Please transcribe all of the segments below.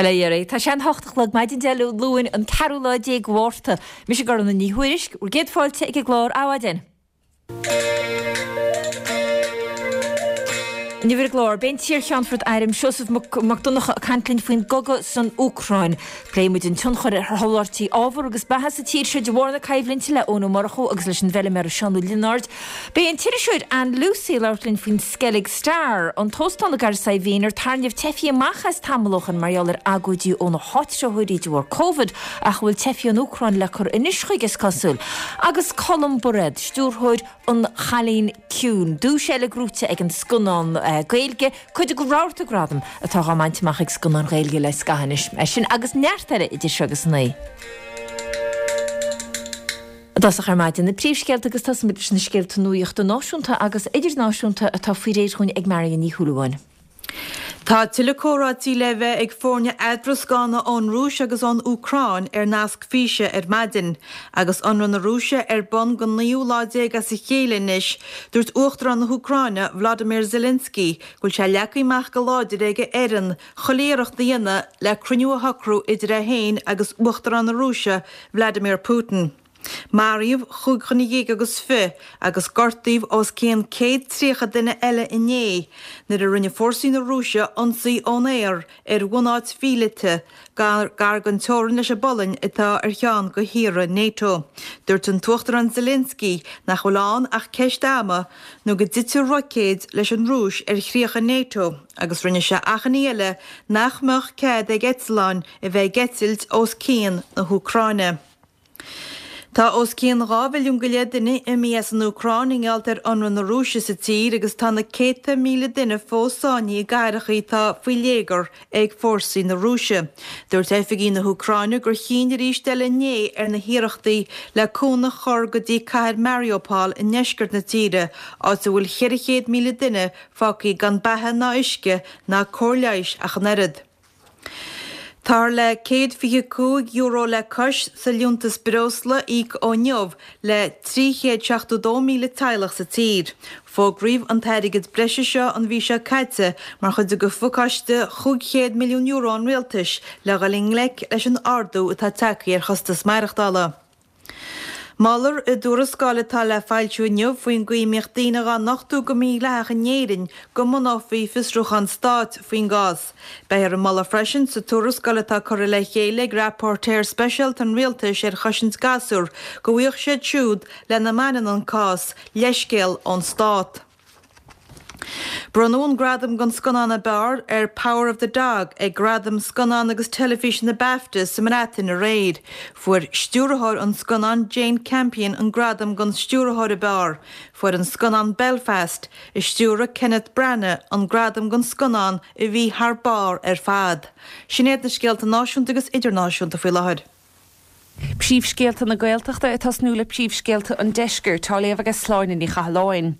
Bhuel, a Dhéaraí, tá sé an hocht a chlog maidin Dé Luain, an ceathrú lá déag de Mhárta. Mise Gormfhlaith Ní Thuairisg, bhur gcéad fáilte ag an gclár Adhmhaidin. Inniu ar an gclár, beidh an t-iar-Cheannfort Airm Seosamh Mac Donncha ag caint linn faoin gcogadh san Úcráin. Pléifidh muid an tionchar ar sholáthairtí ábhar agus beatha sa tír seo de bharr na coimhlinte le Eoin Ó Murchú agus leis an bhfeilméara Seán Ó Lionáird. Beidh an t-iriseoir Ann Lucey ag labhairt linn faoin Skellig Star, an t-óstán i gCathair Saidhbhín ar tarraingíodh teifigh amach as tamall ó shin mar gheall ar agóidí ó na háitritheoirí de bharr Covid ach a bhfuil teifigh ón Úcráin le cur anois chuige is cosúil. Agus Colm Bairéad, stiúrthóir An Cailín Ciúin, duais eile gnóite ag an scannán Gaeilge, cuid de rabharta gradam atá á mbaint amach ag scannáin Ghaeilge le scaitheamh anois. É sin agus neart eile idir seo agus a naoi. I dtosach ar maidin, na príomhscéalta agus tosaímid leis na scéalta nuachta náisiúnta agus idirnáisiúnta atá faoi réir dhúinn ag Marion Ní Shúilleabháin. Tá tuilleadh comhráití le bheith ag foirne eadroscána ón Rúis agus ón Úcráin ar nasc físe ar maidin. Agus ionradh na Rúise ar bun don naoú lá déag as a chéile anois, dúirt Uachtarán na hÚcráine, Volodymyr Zelensky, go bhfuil sé leagtha amach go láidir ag a fhoireann chuile iarracht a dhéanamh le cruinniú a shocrú idir é féin agus Uachtarán na Rúise, Vladimir Putin. Maraíodh chúig dhuine dhéag agus fi agus gortaíodh os cionn 130 duine eile inné nuair a rinne fórsaí na Rúise ionsaí ón aer ar bhunáit mhíleata gar don teorainn leis an bPolainn atá ar cheann de thíortha NATO. Dúirt an tUachtarán Zelensky nach bhfuil ann ach ceist ama nó go dtitfidh roicéid leis an Rúis ar chríocha NATO agus rinne sé achainí eile nach mbeadh cead ag eitleáin a bheith ag eitilt os cionn na hÚcráine. Tá os cionn 2 mhilliún go leith duine imithe as an Úcráin i ngeall ar ionradh na Rúise sa tír agus tá na céadta míle duine fós sáinnithe i gcathracha atá faoi léigear ag fórsaí na Rúise. Dúirt oifigigh na hÚcráine gur chinn arís eile inné ar na hiarrachtaí le cúnamh a chur go dtí cathair Mariupol i ndeisceart na tíre, áit a bhfuil 400,000 duine fágtha gan beatha ná uisce ná cóir leighis ach an oiread. Táthar le €125 le cois sa liúntas breosla a íoc ó inniu le 372,000 teaghlach sa tír. Fógraíodh an t-airgead breise seo an mhí seo caite mar chuid de phacáiste €500 milliún an rialtais le dhul i ngleic leis an ardú atá tagtha ar chostas maireachtála. Moltar i dtuarascáil atá le foilsiú inniu faoin gcaoi a mbíodh daoine dhá nochtadh go mídhleathach in Éirinn go mbunófaí fiosrúchán stáit faoin gcás. Beifear ag moladh freisin sa tuarascáil atá curtha le chéile ag Rapóirtéir Speisialta an Rialtais ar Chosaint Gasúr go bhfaigheadh siad siúd lena mbaineann an cás leithscéal ón stát. Bronnadh an gradam don scannán ab fhearr ar Power of the Dog ag Gradaim Scannán agus Teilifíse na BAFTA sa mBreatain aréir. Fuair stiúrthóir an scannáin Jane Campion an gradam don stiúrthóir ab fhearr. Fuair an scannán Belfast, a stiúraigh Kenneth Branagh, an gradam don scannán a bhí thar barr ar fad. Sin iad na scéalta náisiúnta agus idirnáisiúnta faoi láthair. Príomhscéalta na Gaeltachta ag tosnú le príomhscéalta an Deiscirt, á léamh aige Sláine Ní Chathalláin.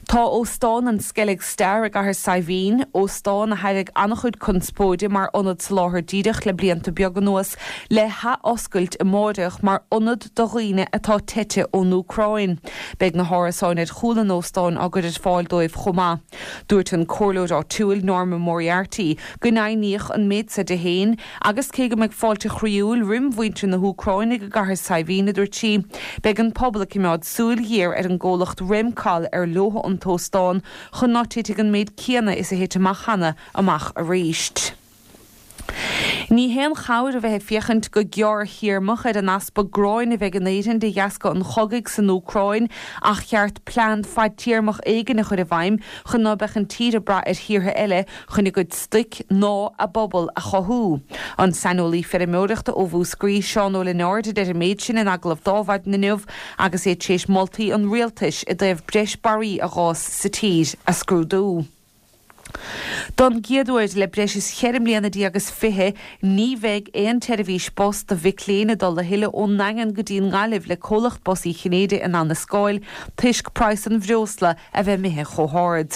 Tá Óstán an Skellig Star i gCathair Saidhbhín, óstán a thairg an-chuid conspóide mar ionad soláthair díreach le blianta beaga anuas, le hathoscailt amáireach mar ionad do dhaoine atá teite ón Úcráin. Beidh na hárasáin ar chúl an óstáin á gcur ar fáil dóibh chomh maith. Dúirt an comhairleoir áitiúil Norma Moriarty go ndeimhníodh an méid seo di féin Agus cé go mbeidh fáilte chroíúil roim mhuintir na hÚcráine i gCathair Saidhbhín, a dúirt sí, beidh an pobal ag coimeád súil ghéar ar an gcomhlacht Remcol ar leo an t-óstán chun ná titfidh an méid céanna is a thit amach cheana amach arís. Ní haon chabhair a bheith ag féachaint go gearrthéarmach ar an easpa gráin a bheidh in Éirinn de dheasca an chogaidh san Úcráin ach cheart plean fadtéarmach éigin a chur i bhfeidhm chun ná beadh an tír ag brath ar thíortha eile chun a gcuid stoic ná a bpobal a chothú. An saineolaí feirmeoireachta ó Mhúscraí, Seán Ó Lionáird a deir an méid sin in agallamh d'Adhmhaidin inniu agus é tar éis moltaí an Rialtais i dtaobh breis barraí a dh'fhás sa tír a scrúdú. Don gcéad uair le breis is cheithre mbliana déag is fiche ní bheidh aon tseirbhís bus do mhic léinn ag dul a thuilleadh ón nDaingean go dtí an nGaillimh le comhlacht Bus Uí Chinnéide in ann a scáil toisc praghas an bhreosla a bheith imithe chomh hard.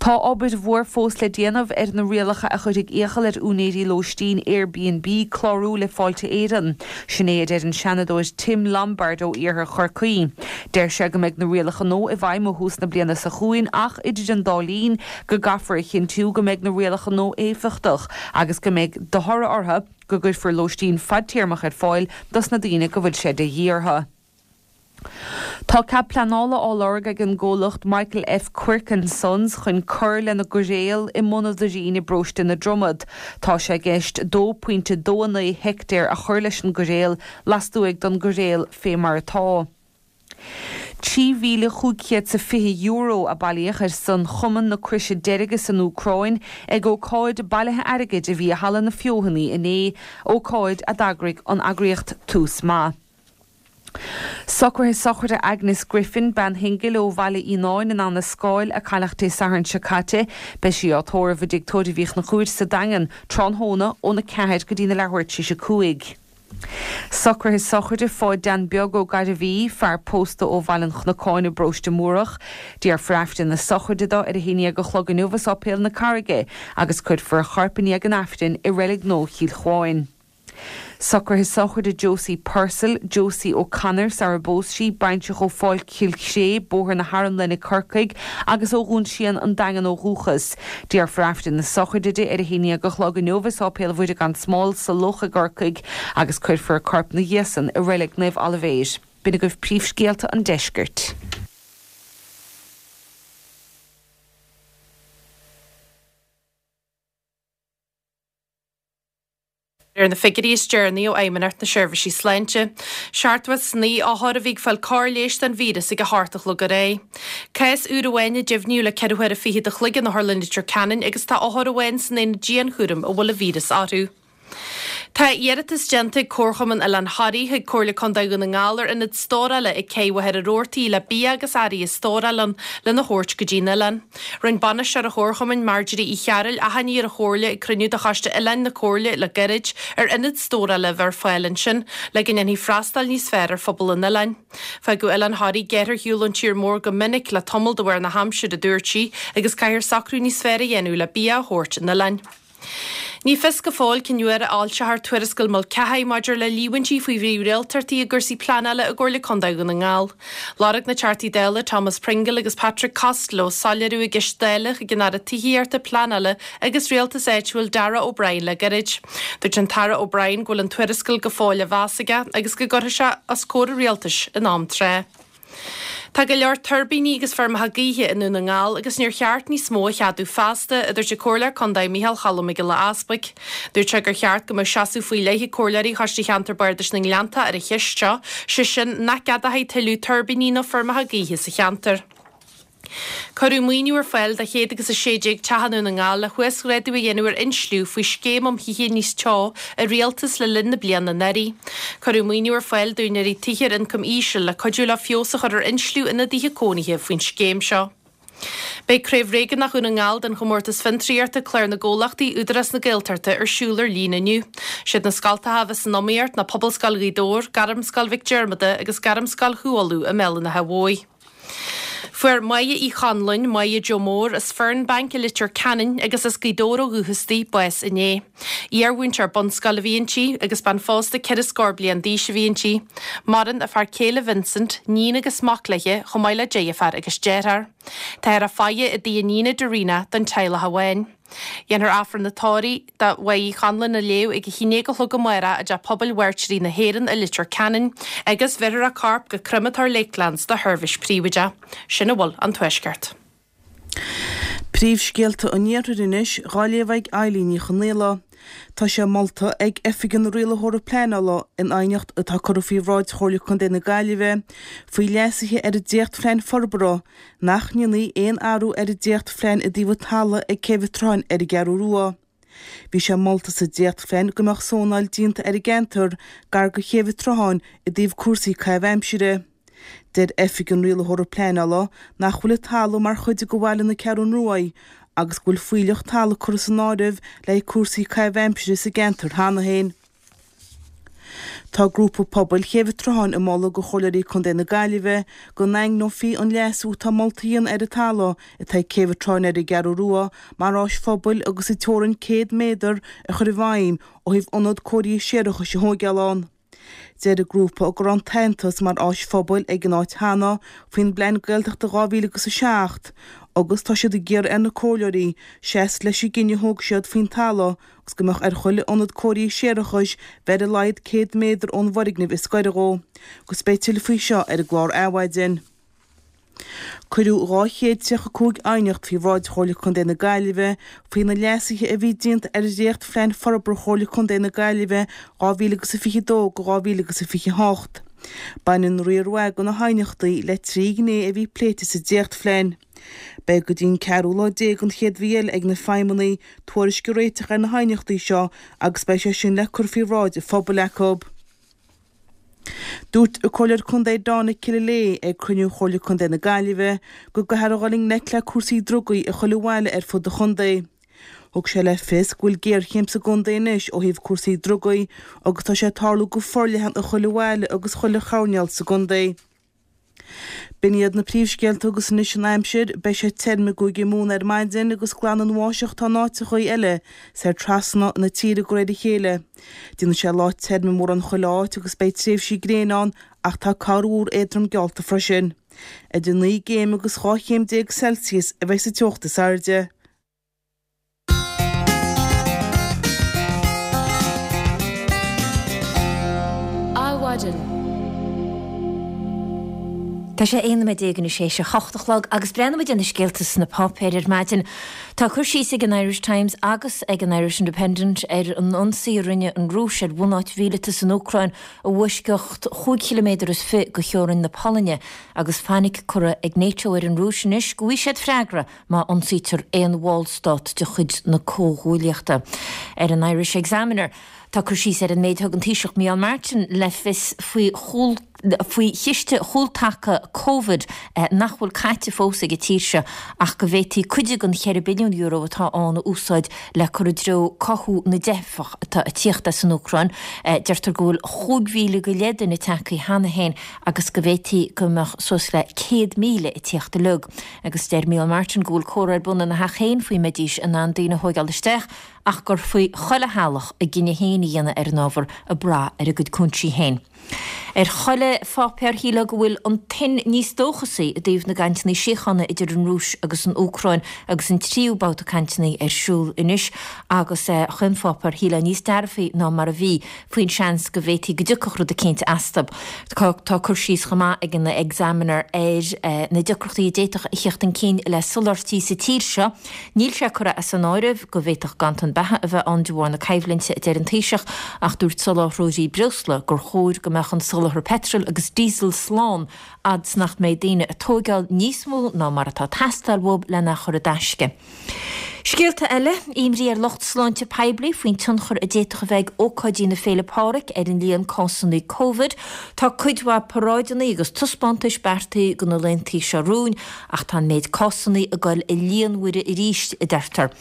Tá obair mhór fós le déanamh ar na rialacha a chuirfidh iachall ar úinéirí lóistín Airbnb clárú le Fáilte Éireann. Sin é a deir an Seanadóir Tim Lombard ó iarthar Chorcaí. Deir sé go mbeidh na rialacha nua i bhfeidhm ó thús na bliana seo chugainn ach idir an dá linn go gcaithfear a chinntiú go mbeidh na rialacha nua éifeachtach agus go mbeidh de thoradh orthu go gcuirfear lóistín fadtéarmach ar fáil dos na daoine go bhfuil sé de dhíth orthu. Tá cead pleanála á lorg ag an gcomhlacht Michael F Quirke and Sons chun cur lena gcoiréal i mBun an Doirín i bparóiste na Dromad. Tá sé i gceist 2.29 heictéar a chur leis an gcoiréal lastuaidh don gcoiréal fé mar atá. €3,520 a bailíodh ar son Chumann na Croise Deirge san Úcráin ag ócáid bailithe airgid a bhí i Halla na Feothanaí inné, ócáid a d'eagraigh an eagraíocht Tús Maith. Socruithe sochraide Agnes Griffin, bean shingil ó Bhaile Fhíonáin in Abha na Scáil, a cailleadh Dé Sathairn seo caite. Beidh sí á tórramh i dTigh Tórraimh Uí Chonchúir sa Daingean tráthnóna óna 4 go dtína leathuair tar éis a 5. Socruithe sochraide Pháid Dan Beag Ó Gairbhí, fear pósta ó Bhaile an Chnocáin i bparóiste Múrach. Déarfar Aifreann na sochraide dó ar a haon dhéag a chlog inniu i Sáipéal na Carraige agus cuirfear a chorp i ndiaidh an Aifrinn i Reilig Nua Chill Chuáin. Socruithe sochraide Josie Purcell, Josie O'Connor sara bpós sí, baintreach ó Pháirc Chill Chré, Bóthar na hArmlainne, Corcaigh, agus ó Dhún Síon, An Daingean ó dhúchas. Déarfar Aifreann na sochraide di ar a haon dhéag a chlog inniu i Sáipéal Mhuire gan Smál sa Loch i gCorcaigh agus cuirfear a corp 'na dhiaidh san i Reilig Naomh Oilibhéir. B'in agaibh príomhscéalta an deiscirt. Ar na figiúirí is deireanaí ó Fheidhmeannacht na Seirbhísí Sláinte, 79 othar a bhí ag fáil cóir leighis don víreas ag a hocht a chlog aréir. Cás úr amháin a deimhníodh le ceithre huaire fichead a chloig in Otharlann Leitir Ceanainn agus tá othar amháin san aonad dianchúraim a bhfuil an víreas orthu. Tá iarratas déanta ag Comharchumann Oileán Thoraí chuig Comhairle Contae Dhún na nGall ar ionad stórála ag Cé Mhachaire Rabhartaigh le bia agus earraí a stóráil ann lena thabhairt go dtí an oileán. Rinne bainisteoir an Chomharchumainn, Marjorie Uí Chearúil, achainí ar an Chomhairle ag cruinniú de Choiste Oileáin na Comhairle le gairid, ar ionad stórála a bheith ar fáil ansin, le go ndéanfaí freastal níos fearr ar phobal an oileáin. Fágadh Oileán Thoraí géar ar shiúl ón tír mór go minic le tamall de bharr na haimsire, a dúirt sí, agus caithfear socrú níos fearr a dhéanamh le bia a thabhairt 'on oileáin. Ní fios go fóill cén uair a fhoilseofar tuarascáil Mulcahy maidir le líomhaintí faoi mhírialtachtaí i gcúrsaí pleanála i gComhairle Contae Dhún na nGall. Lorg na Teachtaí Dála Thomas Pringle agus Patrick Costello soiléiriú i gceist Dála chuig an Aire Tithíochta, Pleanála agus Rialtais Áitiúil Darragh O'Brien le gairid. Dúirt an tAire O'Brien go bhfuil an tuarascáil go fóill á mheas aige agus go gcuirfidh sé os comhair an Rialtais in am tráth. Tá go leor tuirbíní agus feirmeacha gaoithe i nDún na nGall agus níor cheart níos mó a cheadú feasta, a dúirt an Comhairleoir Contae Micheál Cholm Mac Giolla Easbuig. Dúirt sé gur cheart go mbeadh seasamh faoi leith ag comhairleoirí Choiste Cheantar Bardais na nGleannta ar an cheist seo, sé sin nach gceadófaí tuilleadh tuirbíní nó feirmeacha gaoithe sa cheantar. Cuireadh maoiniú ar fáil do chéad agus 16 teach i nDún na nGall le huasghrádú a dhéanamh ar insliú faoi Scéim um Thithe Níos Teo an Rialtais le linn na bliana anuraidh. Cuireadh maoiniú ar fáil d'úinéirí tithe ar ioncam íseal le cuidiú leo feabhas a chur ar insliú ina dtithe cónaithe faoin scéim seo. Beidh Craobh Réigiúnach Dhún na nGall den Chomórtas Fiontraíochta Clár na gComhlachtaí Údarás na Gaeltachta ar siúl ar líne inniu. Siad na scoltacha a bheas san iomaíocht ná Pobalscoil Ghaoth Dobhair, Gairmscoil Mhic Diarmada agus Gairmscoil Chú Uladh i mBéal an Átha Bhuí. Fuair Máire Uí Chonluain, Máire Joe Mór, as Fernbank i Leitir Ceanainn agus as Gaoth Dobhair ó dhúchas di, bás inné. Iar-mhúinteoir bunscoile a bhí inti agus bean phósta ceithre scór bliain d'aois a bhí inti. Maireann a fear céile Vincent, níon agus mac léi, chomh maith le deirfiúr agus deartháir. Táthar ag faire i dtigh a níne Darina don teaghlach amháin. Dhéanfar Aifreann an tórraimh do Mháire Uí Chonluain a léamh ag a haon déag a chlog amárach i dTeach Pobail Mhairtírigh na hÉireann i Leitir Ceanainn agus bheirfear a corp go Crematóir Lakelands do sheirbhís príobháideach. Sin a bhfuil ón Tuaisceart. Príomhscéalta an Iarthair anois dhá léamh ag Eilín Ní Chonaola. Tá sé molta ag Oifig an Rialaitheora Pleanála in aighneacht atá curtha faoi bhráid Chomhairle Contae na Gaillimhe faoi leasuithe ar an dréachtphlean forbartha nach ndéanfaí aon athrú ar an dréachtphlean i dtaobh an talaimh ag Céibh an tSrutháin ar an gCeathrú Rua. Bhí sé molta sa dréachtphlean go mbeadh sónáil déanta ar an gceantar gar do Chéibh an tSrutháin i dtaobh cúrsaí caitheamh aimsire. Deir Oifig an Rialaitheora Pleanála nach bhfuil an talamh mar chuid de bhaile na Ceathrún Ruaidh agus go bhfuil fuílleach talaimh curtha san áireamh le haghaidh cúrsaí caitheamh aimsire sa gceantar cheana féin. Tá grúpa pobail Chéibh an tSrutháin ag moladh do Chomhairleoirí Contae na Gaillimhe go ndaingneofaí an leasú atá molta a dhéanamh ar an talamh atá ag Céibh an tSrutháin ar an gCeathrú Rua mar áis phobail agus an teorainn 100 méadar a chur i bhfeidhm ó thaobh ionad cóirithe séarachais a thóigeáil ann. Deir an grúpa go raibh an t-aitheantas mar áis phobail ag an áit cheana faoin bPlean Gaeltachta 2007 agus tá siad ag iarraidh ar na comhairleoirí seasamh leis an gcinneadh a thóg siad faoin talamh agus go mbeadh ar chuile ionad cóirithe séarachais bheith ar a laghad 100 méadar ón bhfoirgneamh is gaire dhó agus beidh tuilleadh faoi seo ar an gclár Adhmhaidin. Cuireadh 235 aighneacht faoi bhráid Chomhairle Contae na Gaillimhe faoi na leasuithe a bhí déanta ar Dhréacht-Phlean Forbartha Chomhairle Contae na Gaillimhe 2022-2028. Baineann riar mhaith de na haighneachtaí le trí ghné a bhí pléite sa dréachtphlean. Beidh go dtí an ceathrú lá déag den chéad mhí eile ag na feidhmeannaigh tuairisc a réiteach ar na haighneachtaí seo agus beidh sé sin le cur faoi bhráid an phobail acu. Dúirt an Comhairleoir Contae Dawn Killilea ag cruinniú Chomhairle Contae na Gaillimhe go gcaithfear a dhul i ngleic le cúrsaí drugaí i chuile bhaile ar fud an chontae. Thug sé le fios go bhfuil géarchéim sa gcontae anois ó thaobh cúrsaí drugaí agus tá sé ag tarlú go forleathan i chuile bhaile agus chuile choirnéal sa gcontae. B'in iad na príomhscéalta agus anois an aimsir, beidh sé tirim i gCúige Mumhan ar maidin agus glan an bháisteach atá in áiteachaí eile soir trasna na tíre de réir a chéile. Déanfaidh sé lá tirim i mórán chuile áit agus beidh tréimhsí gréine ann ach tá corrmhúr éadrom geallta freisin. Idir 9 gcéim agus 12 chéim Celsius a bheidh sa teocht is airde. Adhmhaidin. Tá sé 11 nóiméad anois théis a hocht a chlog agus breathnóidh muid ar na scéalta sna páipéir ar maidin. Tá cur síos ag an Irish Times agus ag an Irish Independent ar an ionsaí a rinne an Rúis ar bhunáit mhíleata san Úcráin i bhfoisceacht chúig chiliméadar is fi de theorainn na Polainne agus fainic curtha ag NATO ar an Rúis anois go bhfaighidh siad freagra má ionsaítear aon bhallstát de chuid na Comhghuaillíochta. Ar an Irish Examiner, tá cur síos ar an méid a thug an Taoiseach Micheál Martin le fios faoi faoi chiste chúltaca Covid nach bhfuil caite fós ag an tír seo ach go bhféadfaí cuid den €4 billiún atá ann a úsáid le cur i dtreo cothú na dteifeach atá ag tíocht as an Úcráin. Deirtear go bhfuil 5,000 go leith duine tagtha cheana féin agus go bhféadfaí go mbeadh suas le 100,000 ag tíocht uilig. Agus deir Micheál Martin go bhfuil comhrá ar bun ina theach féin faoi mbeidís in ann daoine a thóigeáil isteach ach gur faoi chuile theaghlach a gcinneadh féin a dhéanamh ar an ábhar ag brath ar a gcuid cúinsí féin. Ar chuile pháipéar shílfeá go bhfuil an tuin níos dóchasaí i dtaobh na gcainteanna síochána idir an Rúis agus an Úcráin agus an tríú babhta cainteanna ar siúl anois agus chaon pháipéar shílfeá níos dearfaí ná mar a bhí faoin seans go bhféadfaí go dtiocfadh rud eicínt astu. Tá cur síos chomh maith ag an Examiner ar na deacrachtaí a d'fhéadfadh a theacht chun cinn le soláthairtí sa tír seo. Níl sé curtha as an áireamh go bhféadfadh ganntan beatha a bheith ann de bharr na coimhlinte, a deir an Taoiseach, ach dúirt soláthróirí breosla gur chóir go mbeadh an soláthar peitril agus díosail slán fhad 's nach mbeidh daoine ag tóigeáil níos mó ná mar atá ag teastáil uathu lena chur i dtaisce. Scéalta eile, Imní ar lucht sláinte poiblí faoin tionchar a d'fhéadfadh a bheith ag ócáidí na Féile Pádraig ar an líon cásanna Covid. Tá cuid mhaith paráideanna agus taispeántais beartaithe do na laethanta seo romhainn ach tá an méid cásanna ag dul i líonmhaire arís, a deirtear.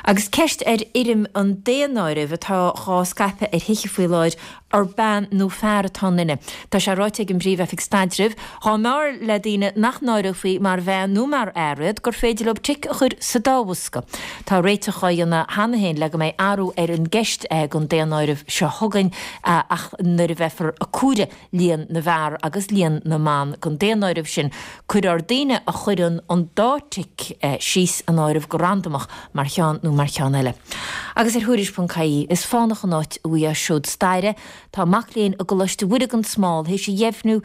Agus ceist ar fhoirm an daonáirimh atá dhá scaipeadh ar thithe faoi láthair, ar bean nó fear atá i nduine. Tá sé ráite ag an bPríomh-Oifig Staidrimh, dhá mb'fhearr le daoine nach n-áireofaí mar bhean nó mar fhear iad, gur féidir leo tic a chur sa dá bhosca. Tá réiteach á dhéanamh cheana féin le go mbeidh athrú ar an gceist don daonáireamh seo chugainn ach nuair a bheifear ag comhaireamh líon na bhfear agus líon na mban don daonáireamh sin, cuirfear daoine a chuireann an dá tic síos san áireamh go randamach mar cheann nó mar cheann eile. Agus ar Thuairisc.ie, is fánach an áit a bhfaighfeá seod staire. Tá mac léinn i gColáiste Mhuire gan Smál théis a dheimhniú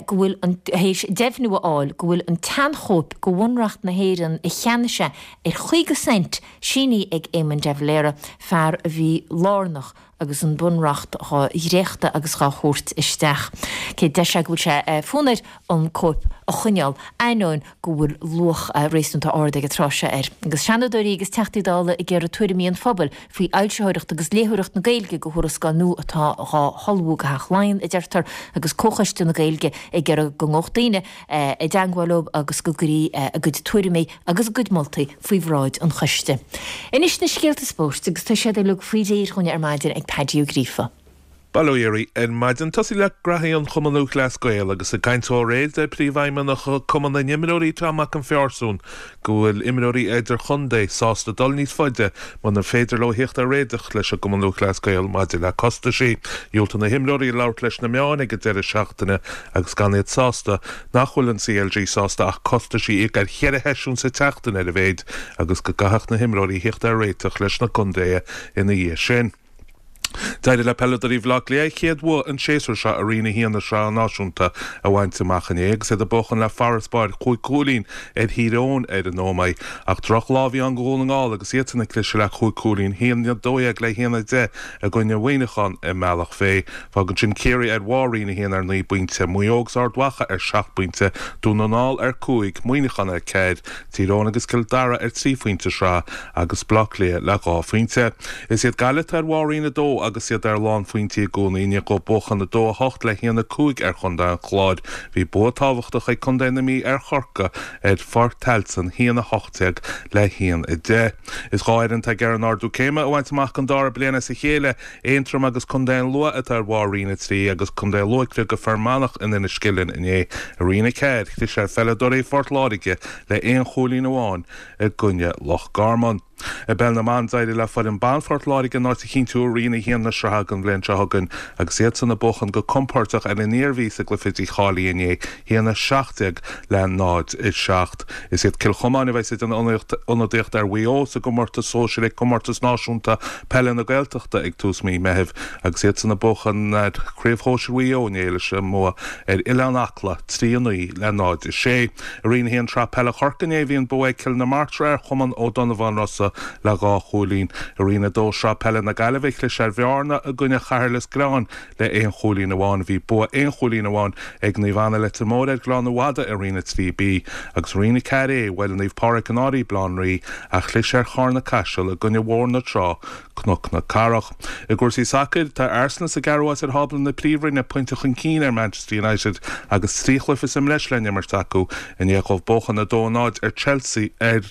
go bhfuil an théis deimhniú a fháil go bhfuil an tseanchóip de Bhunreacht na hÉireann a cheannaigh sé ar 50 cent sínithe ag Éamon de Valera, fear a bhí lárnach agus an Bunreacht dhá dhréachtadh agus dhá thabhairt isteach. Cé deir sé go bhfuil sé fonn air an cóip a choinneáil, ainneoin go bhfuil luach réasúnta ard ag an tráth seo air. Agus Seanadóirí agus Teachtaí Dála ag iarraidh tuairimí an phobail faoi fhoilsitheoireacht agus léitheoireacht na Gaeilge do thuarascáil nua atá dhá hullmhú do Theach Laighean, a deirtear, agus Comhchoiste na Gaeilge ag iarraidh go ngabhfadh daoine i dteangmháil leo agus go gcuirí a gcuid tuairimí agus a gcuid moltaí faoi bhráid an choiste. Anois na scéalta spóirt agus tá siad uilig faoi réir dhúinn ar maidin ag Paddy Ó Gríofa. Bail ó Dhia oraibh ar maidin. Tosaí le graithí an Chumann Lúthchleas Gael agus ag caint dó aréir deir Príomhfheidhmeannach Cumann na nImreoirí Tom Mac an Phearsúin go bhfuil imreoirí idirchontae sásta dul níos faide munar féidir leo theacht ar réiteach leis an gCumann Lúthchleas Gael maidir le costaisí. Dhiúltaigh na himreoirí labhairt leis na meáin ag an deireadh seachtaine agus gan iad sásta nach bhfuil an CLG sásta ach costaisí a íoc ar cheithre sheisiún sa tseachtain ar a mhéid agus go gcaithfeadh na himreoirí theacht ar réiteach leis na contaetha ina dhiaidh sin. D'éirigh le peileadóirí Bhaile Átha Cliath a chéad bhua an séasúr seo i Roinn 1 na Sraithe Náisiúnta a bhaint amach inné agus iad ag buachan le farasbarr chúig chúilín ar Thír Eoghain ar an Ómaigh. Ach drochlá a bhí ann do Dhún na nGall agus iadsan ag cliseadh le chúig chúilín, 1-12 le 1-10 i gcoinne Mhuineacháin i mBealach Féich. Fágann sin Ciarraí ar bharr Roinn 1 ar naoi bpointe, Maigh Eo agus Ard Mhacha ar sheacht bpointe, Dún na nGall ar cúig, Muineachán ar ceathair, Tír Eoghain agus Cill Dara ar thrí phointe sraith agus Baile Átha Cliath le dhá phointe. Is iad Gaillimh atá ar bharr Roinn 2 agus iad ar lánphointí i gcónaí i ndiaidh dóibh buachan 2, 8 le 1, 5 ar chontae an Chláir. Bhí bua tábhachtach ag contae na Mí ar Chorcaigh ar Pháirc Tailteann, 1, 18 le 1, 10. Is dhá fhoireann atá ag iarraidh an ardú céime a bhaint amach don dara bliain as a chéile, Aontroim agus Contae an Lú atá ar bharr Roinn 3 agus Contae an Lú ag criogadh Fear Manach in Inis Ceithleann inné. I Roinn 4, chlis ar pheileadóirí Phort Láirge le aon chúilín amháin i gcoinne Loch Garman. I bpeil na mban d'éirigh le foireann ban Phort Láirge a n-áit a chinntiú i Roinn 1 na sraithe don bhliain seo chugainn agus iadsan ag buachan go compóirteach ar an Iarmhí sa gcluiche dícháilithe inné, 1-17 le 0-7. Is iad Cill Chomáin a bheas ag déanamh ionadaíocht ar Mhaigh Eo sa gcomórtas sóisir ag Comórtas Náisiúnta Peile na Gaeltachta ag tús mí Meithimh agus iadsan ag buachan ar Chraobh Shóisir Mhaigh Eo inné leis an mbua ar Oileán Acla, 3, 9 le 0, 6. I Roinn 1 Sraith Peile Chorcaí inné bhí an bua ag Cill na Martra ar Chumann Ó Donnabháin Rosa le dhá chúilín. I Roinn 2 Sraith Peile na Gaillimhe chlis ar Bhearna i gcoinne Chathair Lios Gréáin le aon chúilín amháin. Bhí bua aon chúilín amháin ag Naomh Anna Leitir Móir ar Ghleann Fhada i Roinn 3B agus Roinn 4A bhuail Naomh Pádraig an Fhairche Baile Átha an Rí ach chlis ar Charna Caiseal i gcoinne Bhóthar na Trá, Cnoc na Cathrach. I gcúrsaí sacair, tá Arsenal sa gceathrú háit ar thábla na Príomhroinne, pointe chun cinn ar Manchester United agus trí chluiche sa mbreis le n-imirt acu i ndiaidh dóibh buachan 2-0 ar Chelsea ar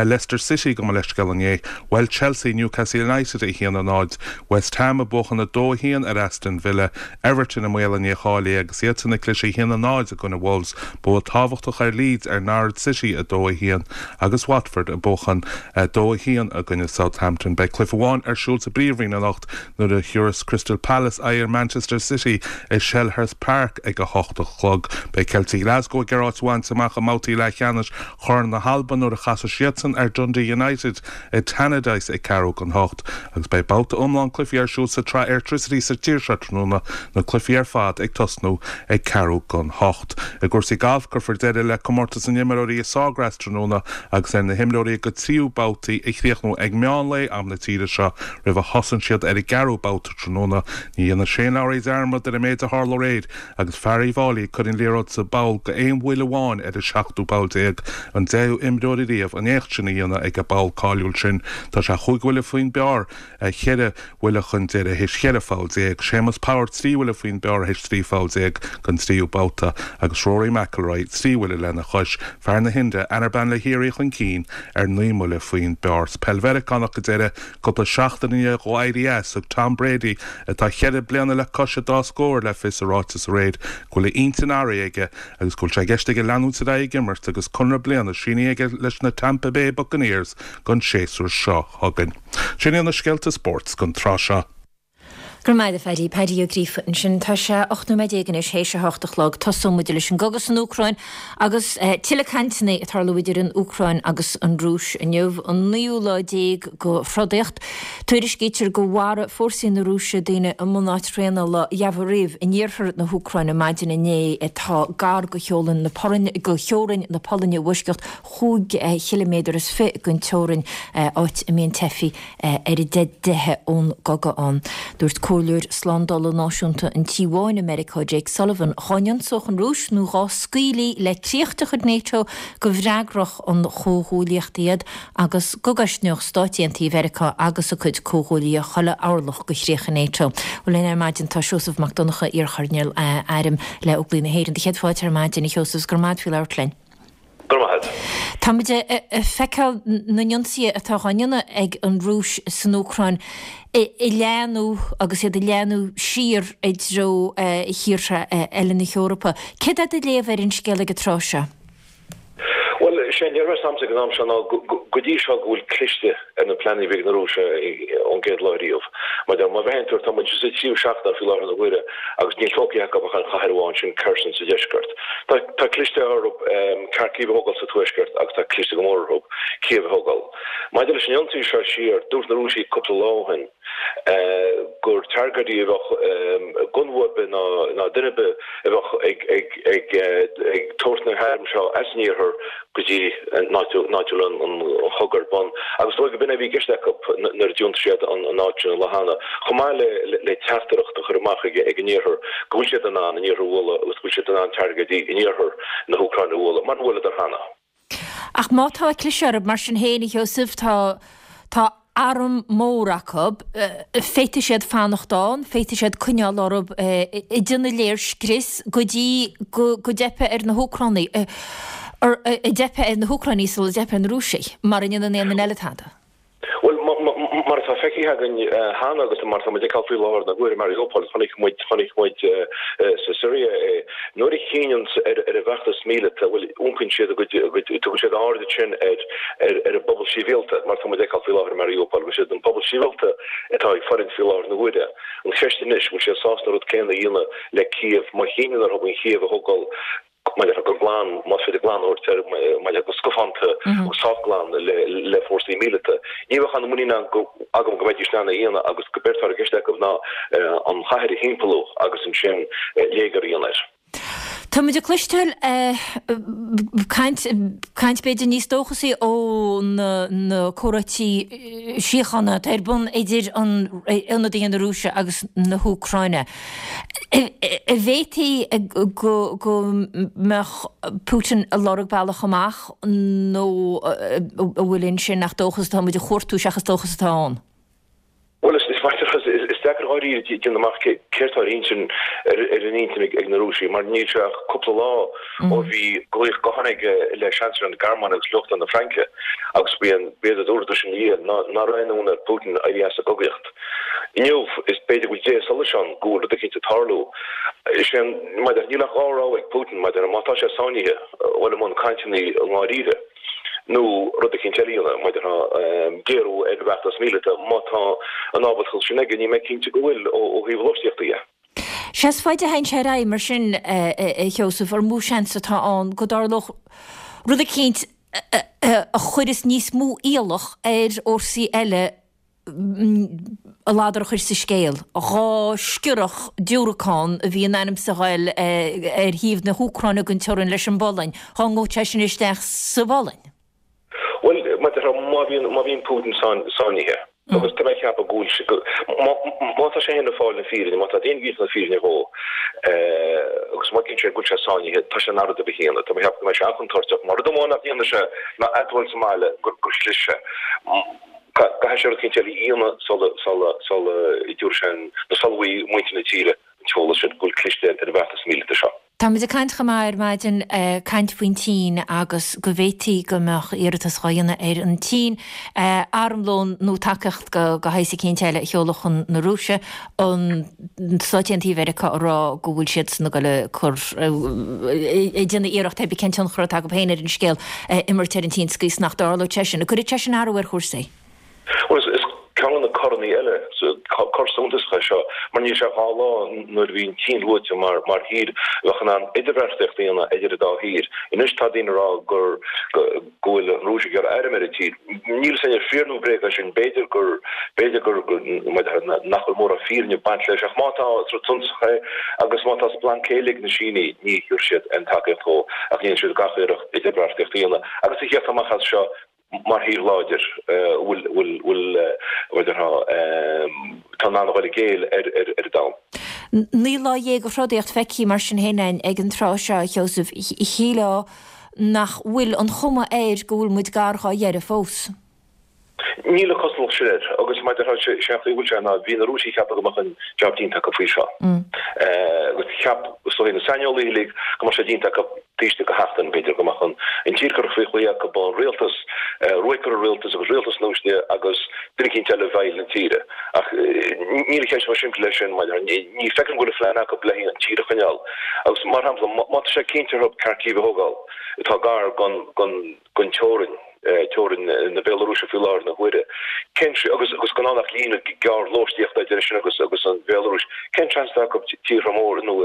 Leicester City gabh mo leithscéal inné. Bhuail Chelsea Newcastle United 1-0, West Ham ag buachan 2-1 ar Aston Villa, Everton i mbaol a ndícháilithe agus iadsan ag cliseadh 1-0 i gcoinne Wolves, bua tábhachtach ar Leeds ar Norwich City 2-1 agus Watford ag buachan 2-1 i gcoinne Southampton. Beidh cluiche amháin ar siúl sa bPríomhroinn anocht nuair a thiúrfas Crystal Palace aghaidh ar Manchester City i Selhurst Park ag 8 a chlog. Beidh Ceiltigh Glasgow ag iarraidh áit a bhaint amach i mbabhtaí leathcheannais Chorn na hAlban nuair a chasfaidh siadsan ar Dundee United i Tannadice ag ceathrú don hocht agus beidh babhta iomlán cluichí ar siúl sa tsraith Airtricity sa tír seo tráthnóna, na cluichí ar fad ag tosnú ag ceathrú don hocht. I gcúrsaí gailf, cuirfear deireadh le Comórtas na nImreoirí i Sawgrass tráthnóna agus ar na himreoirí a gcuid tríú babhtaí a chríochnú ag meán lae am na tíre seo roimh a thosaíonn siad ar an gceathrú babhta tráthnóna. Ní dhéanfaidh Shane Lowry dearmad ar an méid a tharla aréir Agus fear Uíbh Fháilí ag cur an liathróid sa bpoll go aon bhuille amháin ar an seachtú poll déag, an deichiú imreoir ariamh an éacht sin a dhéanamh ag an bpoll cáiliúil sin. Tá sé chúig bhuille faoin bpar, cheithre bhuille chun deiridh théis cheithre pholl déag. Séamus Power trí bhuille faoin bpar théis 13 pholl den tríú babhta agus Rory McIlroy trí bhuille lena chois. Fear na hIndia, Anirban Lahiri chun cinn ar naoi mbuille faoin bpar. Sa peil Mheiriceánach go deireadh, Cúpla seachtain i ndiaidh dhó éirí as, thug Tom Brady, atá cheithre bliana le cois an dá scór, le fios i ráiteas aréir go bhfuil a intinn athraithe aige agus go bhfuil sé i gceist aige leanúint ar aghaidh ag imirt agus conradh bliana sínithe aige leis na Tampa Bay Buccaneers don séasúr seo chugainn. Sin iad na scéalta spóirt don tráth seo. Go raibh maith agat a Phaddy. Paddy Ó Gríofa ansin. Tá sé 18 nóiméad anois théis a hocht a chlog. Tosóidh muid leis an gcogadh san Úcráin agus tuilleadh cainteanna ag tarlú idir an Úcráin agus an Rúis inniu, an naoú lá déag de throdaíocht. Tuairiscítear gur mharaigh fórsaí na Rúise daoine i mbunáit thraenála Yavoriv in iarthar na hÚcráine maidin inné atá gar do theorainn na Polainne i bhfoisceacht chúig chiliméadar is fiche den teorainn, áit a mbíonn teifigh ar a dteitheadh ón gcogadh ann. Dúirt Comhairleoir Slándála Náisiúnta an Tí Bháin i Meiriceá, Jake Sullivan, dhá n-ionsódh an Rúis nó dhá scaoilí le críoch de chuid NATO go bhfreagródh an chomhghuaillíocht iad agus go gcosnódh Stáit Aontaithe Mheiriceá agus a cuid comhghuaillithe chuile orlach de chríocha NATO. Bhuel linn ar maidin tá Seosamh Mac Donncha, iarchoirnéal airm le Óglaigh na hÉireann. Do chéad fáilte ar maidin, a Sheosaimh, is go raibh maith agat faoi labhairt linn. Go raibh maith agat. Tá muid ag feiceáil na n-ionsaithe atá á ndéanamh ag an Rúis san Úcráin ag leathnú agus iad ag leathnú siar i dtreo thíortha eile na hEorpa. Céard é do léamh ar an scéal ag an tráth seo? Bhuel, sé an léargas agamsa ag an am seo ná go dtí seo go bhfuil cliste ar na pleananna a bhí ag na Rúisigh ón gcéad lá riamh. Mar má bhreathnaíonn tú, tá muid sa tríú seachtain faoi láthair na huaire agus níl tógtha acu ach an chathair amháin sin, Kherson sa deisceart. Tá cliste orthu Kharkiv a thógáil sa tuaisceart agus tá cliste go mór orthu Kiev a thógáil. Maidir leis an ionsaí seo siar, dúirt na Rúisigh cúpla lá ó shin, gur targaidí a bheadh gunna ar bith ná duine ar bith a bheadh ag tabhairt na hairm seo as an iarthar go dtí an áit a bhfuil an chogadh ar bun. Agus is dóigh go b'in é a bhí i gceist acu nuair a d'ionsaigh siad an áit sin an lá cheana, chomh maith le teachtaireacht a chur amach ag an iarthar go bhfuil siad in ann an iarthar a bhualadh agus go bhfuil siad in ann targaidí in iarthar na hÚcráine a bhualadh, mar a bhuaileadar cheana. Ach má tá cliseadh orthu, mar sin féin, a Sheosaimh, tá, tá arm mór acu, féadfaidh siad fanacht ann, féadfaidh siad coinneáil orthu ag déanamh léirscrios go dtí go, go dteipfidh ar na hÚcránaigh, go dteipfidh ar na hÚcránaigh sula dteipfidh ar na Rúisigh, mara ndéanann aon duine eile tada. Bhuel, mar atá feicthe againn cheana agus mar atá muid ag feiceáil faoi láthair na huaire, Mariupol, chonaic muid, chonaic muid sa Siria é. Nuair a chinneann ar an bhfeachtas míleata, bhuel, iompaíonn siad a gcuid, a gcuid, tugann siad aird ansin ar, ar, ar an bpobal sibhialta, mar atá muid ag feiceáil faoi láthair i Mariupol, go bhfuil siad an pobal sibhialta atá ag fulaingt faoi láthair na huaire. An cheist anois, bhfuil siad sásta an rud céanna a dhéanamh le Cív, má chinneann orthu an Chív a thógáil, maidir le go glan, más féidir glan a thabhairt air, maidir le go scafánta agus sách glan le fórsaí míleata. Ní bheadh aon mhuinín agam go mbeidís in ann é a dhéanamh agus go b'éard atá i gceist acu ná an chathair a thimpeallú agus ansin léigear a dhéanamh air. Tá muid ag cloisteáil caint, caint b'fhéidir níos dóchasaí ó na comhráití síochána atá ar bun idir ionadaithe na Rúise agus na hÚcráine. An bhféadfaí go mbeadh Putin ag lorg bealach amach nó an bhfuil ansin ach dóchas atá muid a chuartú seachas dóchas atá ann? Bhuel, is is deacair dháiríre déanamh amach céard tá ar intinn ar an intinn ag na Rúisigh mar níl sé ach cúpla lá ó bhí glaoch gutháin aige le Seansailéir na Gearmáine agus le Uachtarán na Fraince agus b'éard a dúradar ina dhiaidh ná nach raibh aon fhonn ar Putin éirí as an gcogaíocht. Inniu, is b'fhéidir go bhfuil déithe solais ann go bhfuil rud eicínt ag tarlú. Is é an, maidir, níl ach dhá rogha ag Putin, maidir, má tá sé sáinnithe, dhul i mbun cainteanna i ndáiríre, nó rud eicínt eile a dhéanamh, maidir, géarú ar an bhfeachtas míleata, má tá an ábaltacht sin aige, níl mé cinnte go bhfuil, ó thaobh lóistíochta dhe. Sea, is faide a théann sé ar aghaidh mar sin, a Sheosaimh, ar mó seans atá ann go dtarlódh rud eicínt a chuirfeas níos mó iallach ar fhórsaí eile a ladar a chur sa scéal. Dhá sciorrfadh diúracán a bhí in ainm is a ghoil ar thaobh na hÚcráine den teorainn leis an bPolainn, dhá ngabhadh sé sin isteach sa bPolainn. Bhuel, mar a déarfá, má bhíonn, má bhíonn Putin sáinnithe, agus tá mé ag ceapadh go bhfuil sé, má, má tá sé féin ag fáil na fírinne, má tá daoine ag insint na fírinne dhó, agus má chinneann sé go bhfuil sé sáinnithe, tá sé in ann rud ar bith a dhéanamh. Tá mé ag ceapadh go mbeidh sé an-chontúirteach. Mar rud amháin nach ndéanfaidh sé ná admháil sa mbaile gur chlis sé. Caithfidh sé rud eicínt eile a dhéanamh sula dtabharfaidh sé an, nó sula bhfaighidh muintir na tíre an t-eolas sin go bhfuil cliste ar an bhfeachtas míleata seo. Tá muid ag caint chomh maith ar maidin, caint faoin tSín agus go bhféadfaí go mbeadh iarratas dhá dhéanamh ar an tSín armlón nó tacaíocht de shaghas eicínt eile a sheoladh chun na Rúise, an Stáit Aontaithe Mheiriceá ag rá go bhfuil siadsan ag dul ag cur, ag déanamh iarracht pé ar bith cén tionchar atá acu féin ar an scéal, a imirt ar an tSín sa gcaoi is nach dtarlódh sé sin. An gcuirfeadh sé sin athrú ar chúrsaí? Bhuel, is ceann de na coranna eile, cor suntasach é seo, mar níl sé ach dhá lá nuair a bhí an tSín luaite mar mar thír a bheadh in ann idirbheartaíocht a dhéanamh idir an dá thír. Anois tá daoine ag rá gur go bhfuil an Rúis ag iarraidh airm ar an tír. Níl 'fhios againn ar fíor nó bréag é sin. B'fhéidir gur, b'fhéidir gur, nach bhfuil mórán fírinne ag baint leis ach má tá, is rud suntasach é agus má tá splanc céille ag na Sínigh ní thabharfaidh siad aon tacaíocht dhó ach déanfaidh siad gach iarracht idirbheartaíocht a dhéanamh agus a theacht amach as seo mar thír láidir a bhfuil, bhfuil, bhfuil, mar a déarfá, atá in ann a dhul i gcéill ar, ar, ar an domhan. 19 lá de throdaíocht feicthe mar sin féin againn ag an tráth seo, a Sheosaimh. Shílfeá nach bhfuil an chuma air go bhfuil muid gar dhá dheireadh fós. Níl a cosúlacht. cuma soiléir agus mar a déarfá sé an chaoi a bhfuil sé ná bhí na Rúisigh ag ceapadh go mbeadh an jab déanta acu faoi seo. Agus cheap is dóigh na saineolaithe uilig go mbeadh sé déanta acu taobh istigh de sheachtain, b'fhéidir, go mbeadh an tír curtha faoi chlaí acu, an rialtas, ruaig curtha ar an rialtas agus rialtas nua istigh agus duine eicínt eile i bhfeighil na tíre. Ach níl an cheist chomh simplí leis sin, mar ní feicim go bhfuil an phlean acu le an tír a choinneáil. Agus mar shampla, má tá sé cinnte orthu Kharkiv a thógáil, atá gar don teorainn, teorainn na Béalarúise faoi láthair na huaire, cén, agus agus gan ann ach líne gearr lóistíochta idir sin agus agus an Bhéalarúis, cén seans atá acu tíortha móra nó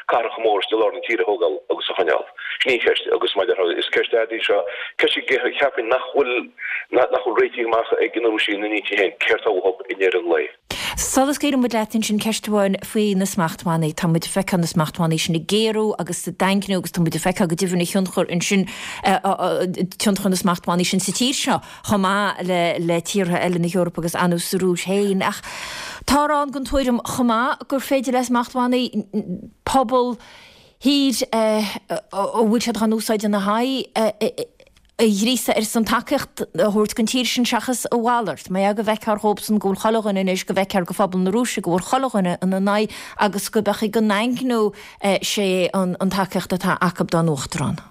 cathracha móra istigh i lár na tíre a thógáil agus a choinneáil? Sin í an cheist agus mar a déarfá, is ceist fhada í seo, ceist a cheapfainn nach bhfuil nach bhfuil réitithe amach ag na Rúisigh ina n-intinn féin céard atá uathu i ndeireadh an lae. Sula scaoileann muid leat ansin, ceist amháin faoi na smachtbhannaí. Tá muid ag feiceáil na smachtbhannaí sin ag géarú agus ag daingniú agus tá muid ag feiceáil go deimhin a thionchar ansin, tionchar na smachtbhannaí sin sa tír seo chomh maith le le tíortha eile na hEorpa agus ar ndóigh sa Rúis féin. Ach táthar ann den tuairim chomh maith gur féidir le smachtbhannaí pobal thír a bhfuil siad á n-úsáid ina haghaidh a ghríosadh ar son tacaíocht a thabhairt don tír sin seachas a mhalairt. Mar go bhfeicthear dhóibhsan go bhfuil chuile dhuine anois, go bhfeicthear go phobal na Rúise go bhfuil chuile dhuine ina n-aghaidh agus go b'fhéidir go ndaingneodh sé an tacaíocht atá acu dá n-uachtarán.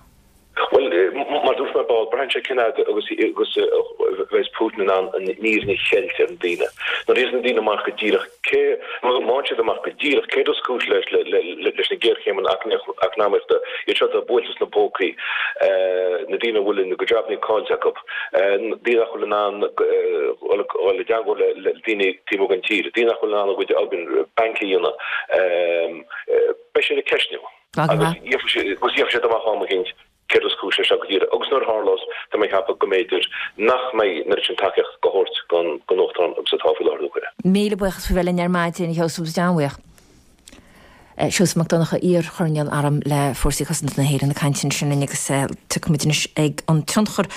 Bhuel, mar a dúirt mé ar ball, braitheann sé cén fhad agus a bheas Putin in ann an fhírinne a cheilt ar na daoine. Nuair a gheobhas na daoine amach go díreach cé, má fhaigheann siad amach go díreach céard is cúis leis leis na géarchéimeanna eacnamaíochta, iad seo atá buailte sna pócaí, na daoine a bhfuil a gcuid jabannaí caillte acu, daoine nach bhfuil in ann dul i dteagmháil le daoine taobh amuigh den tír, daoine nach bhfuil in ann a gcuid obair bainc a dhéanamh, beidh siad ag ceistniú agus gheobhaidh siad amach am eicínt. Céard is cúis leis seo go díreach? Agus nuair a tharlós, tá mé ag ceapadh go mb'fhéidir nach mbeidh an oiread sin tacaíocht á thabhairt don Uachtarán agus atá faoi láthair na huaire. Míle buíochas faoi bheith linn ar maidin, a Sheosaimh, agus an-bhuíoch. Seosamh Mac Donncha, iar-choirnéal airm le Fórsaí Cosanta na hÉireann ag caint ansin linn agus tiocfaidh muid anois ag an tionchar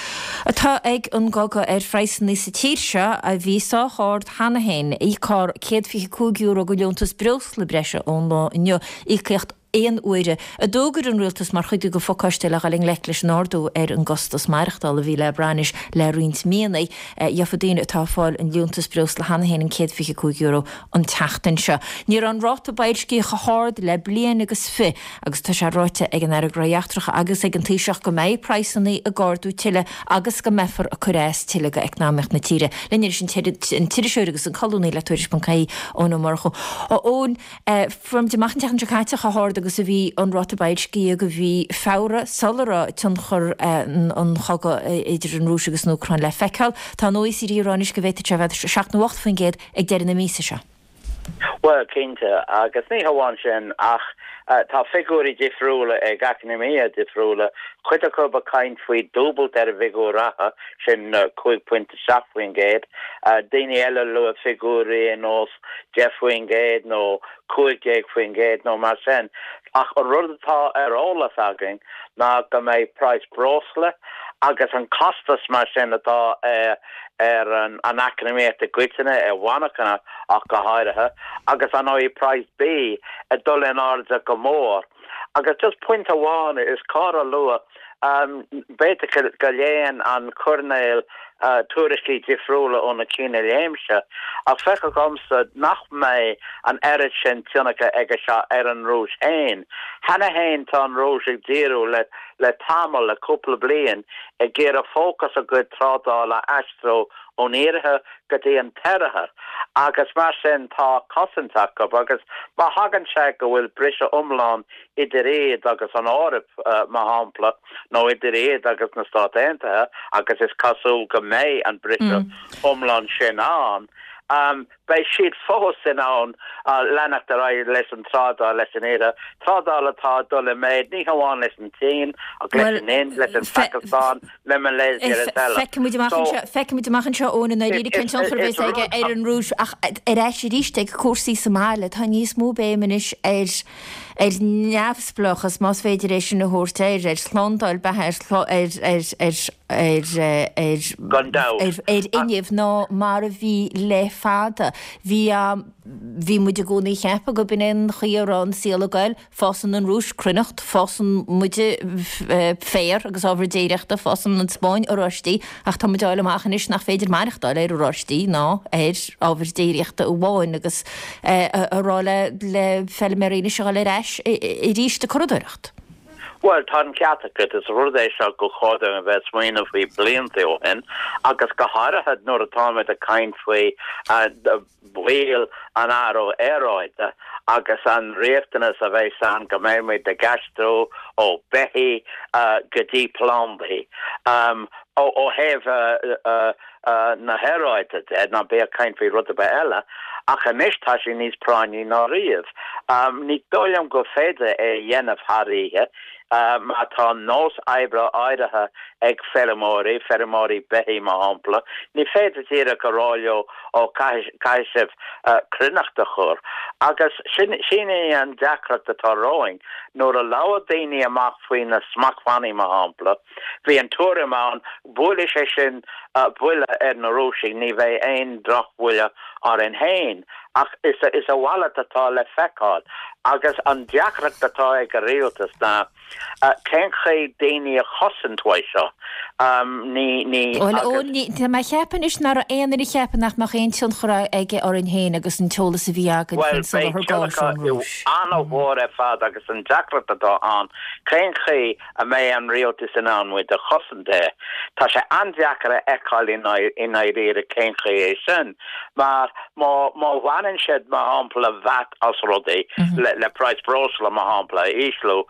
atá ag an gcogadh ar phraghsanna sa tír seo a bhí sách ard cheana féin. Íocfar €125 de liúntas breosla breise ón lá inniu, íocaíocht aon uaire, a d'fhógair an Rialtas mar chuid de phacáiste le dhul i ngleic leis an ardú ar an gcostas maireachtála a bhí le brath anois le roinnt míonna. Gheofaidh daoine atá ag fáil an liúntas breosla cheana féin an €125 an tseachtain seo. Ní raibh an ráta boilscithe chomh hard le bliain agus fi agus tá sé ráite ag an Aire Gnóthaí Eachtracha agus ag an Taoiseach go mbeidh praghsanna ag ardú tuilleadh agus go mbeifear ag cur as tuilleadh go eacnamaíocht na tíre. Linn anois an t-iriseoir agus an colúnaí le Tuairisc.ie, Eoin Ó Murchú. A Eoin, Fuair muid amach an tseachtain seo caite chomh hard agus a bhí an ráta boilscithe do mhí Feabhra sula raibh tionchar an chogaidh idir an Rúis agus an Úcráin le feiceáil. Tá an OECD ag rá anois go bhféadfadh sé a bheith 7 nó 8% ag deireadh na míosa seo. Bhuel, cinnte, agus ní hamháin sin ach tá figiúirí difriúla ag eacnamaithe difriúla, cuid acu ag caint faoi dúbailt ar an bhfigiúr reatha, sin 5.7%, daoine eile ag lua figiúirí ar nós 10% nó 15% nó mar sin. Ach an rud atá ar eolas againn ná go mbeidh praghas breosla agus an costas mar sin atá ar an eacnamaíocht i gcoitinne, ar mhonarchana ach go háirithe, agus ar ndóigh praghas bídh ag dul in airde go mór. Agus just pointe amháin is cóir a lua, b'fhéidir go léann an coirnéal tuairiscí difriúla ó na cinn a léimse, ach feictear dhomsa nach mbeidh an oiread sin tionchair aige seo ar an Rúis féin. Cheana féin tá an Rúis ag díriú le le tamall, le cúpla bliain, ag iarraidh fócas a gcuid trádála a aistriú ón iarthar go dtí an t-oirthear agus mar sin tá cosaint acu agus má thagann sé go bhfuil briseadh iomlán idir iad agus an Eoraip, mar shampla, nó idir iad agus na Stáit Aontaithe, agus is cosúil go mbeidh an briseadh iomlán sin ann, beidh siad fós in ann leanacht ar aghaidh leis an trádáil leis an Iarthar, trádáil atá ag dul i méid ní hamháin leis an tSín ach leis an Ind, leis an Phacastáin, le Malaysia agus eile. Feicfidh muid amach anseo, feicfidh muid amach anseo Eoin i ndáiríre cén tionchar a bheas aige ar an Rúis ach ar ais arís ag cúrsaí sa mbaile, tá níos mó béim anois ar ar neamhspleáchas, más féidir é sin a thabhairt air, ar shlándáil beatha, ar ar ar ar. ar ar ar fhuinneamh ná mar a bhí le fada. Bhí bhí muid i gcónaí ag ceapadh go b'in é an chaoi a raibh an saol ag goil, fásann an Rúis cruithneacht, fásann muide féar agus ábhar déiríochta, fásann an Spáinn oráistí, ach tá muid á fháil amach anois nach féidir maireachtáil ar oráistí ná ar ábhar déiríochta amháin agus a rá le le feilméaraí anois a dhul ar ais arís ag curadóireacht. Bhuel, tá an ceart agat. Is rud é seo gur chóir dúinn a bheith ag smaoineamh faoi blianta ó shin, agus go háirithe nuair atáimid ag caint faoi bhaol an athrú aeráide agus an riachtanas a bheas ann go mbeimid ag aistriú ó beithígh go dtí plandaí. Ó thaobh na haeráide de, ná bí ag caint faoi rud ar bith eile, ach anois tá sé níos práinní ná riamh. Ní dóigh liom gur féidir é a dhéanamh thar oíche, má tá nós oibre áirithe ag feirmeoirí, feirmeoirí beithígh mar shampla, ní féidir díreach a rá leo ó caithfidh sibh cruithneacht a chur. Agus sin í an deacracht atá romhainn. Nuair a labhair daoine amach faoi na smachtbhannaí mar shampla, Bhí an tuairim ann, buailfidh sé sin buille ar na Rúisigh, ní bheidh aon drochbhuille orainn féin. Ach is a mhalairt atá le feiceáil. Agus an deacracht atá ag an rialtas ná cén chaoi daoine a chosaint uaidh seo. Ní, ní, Bhuel, agus. Tá mé ag ceapadh anois nach raibh aon duine ag ceapadh nach mbeadh aon tionchar aige orainn féin agus an t-eolas a bhí againn Bhuel, faoin beidh soláthar gáis tionchar ón Rúis. an-mhór ar fad agus an deacracht atá ann, cén chaoi a mbeidh an rialtas in ann muid a chosaint air. Tá sé an-deacair a fheiceáil i ndáiríre cén chaoi é sin, mar má má bhaineann siad, mar shampla, VAT as rudaí, le praghas breosla, mar shampla, a ísliú,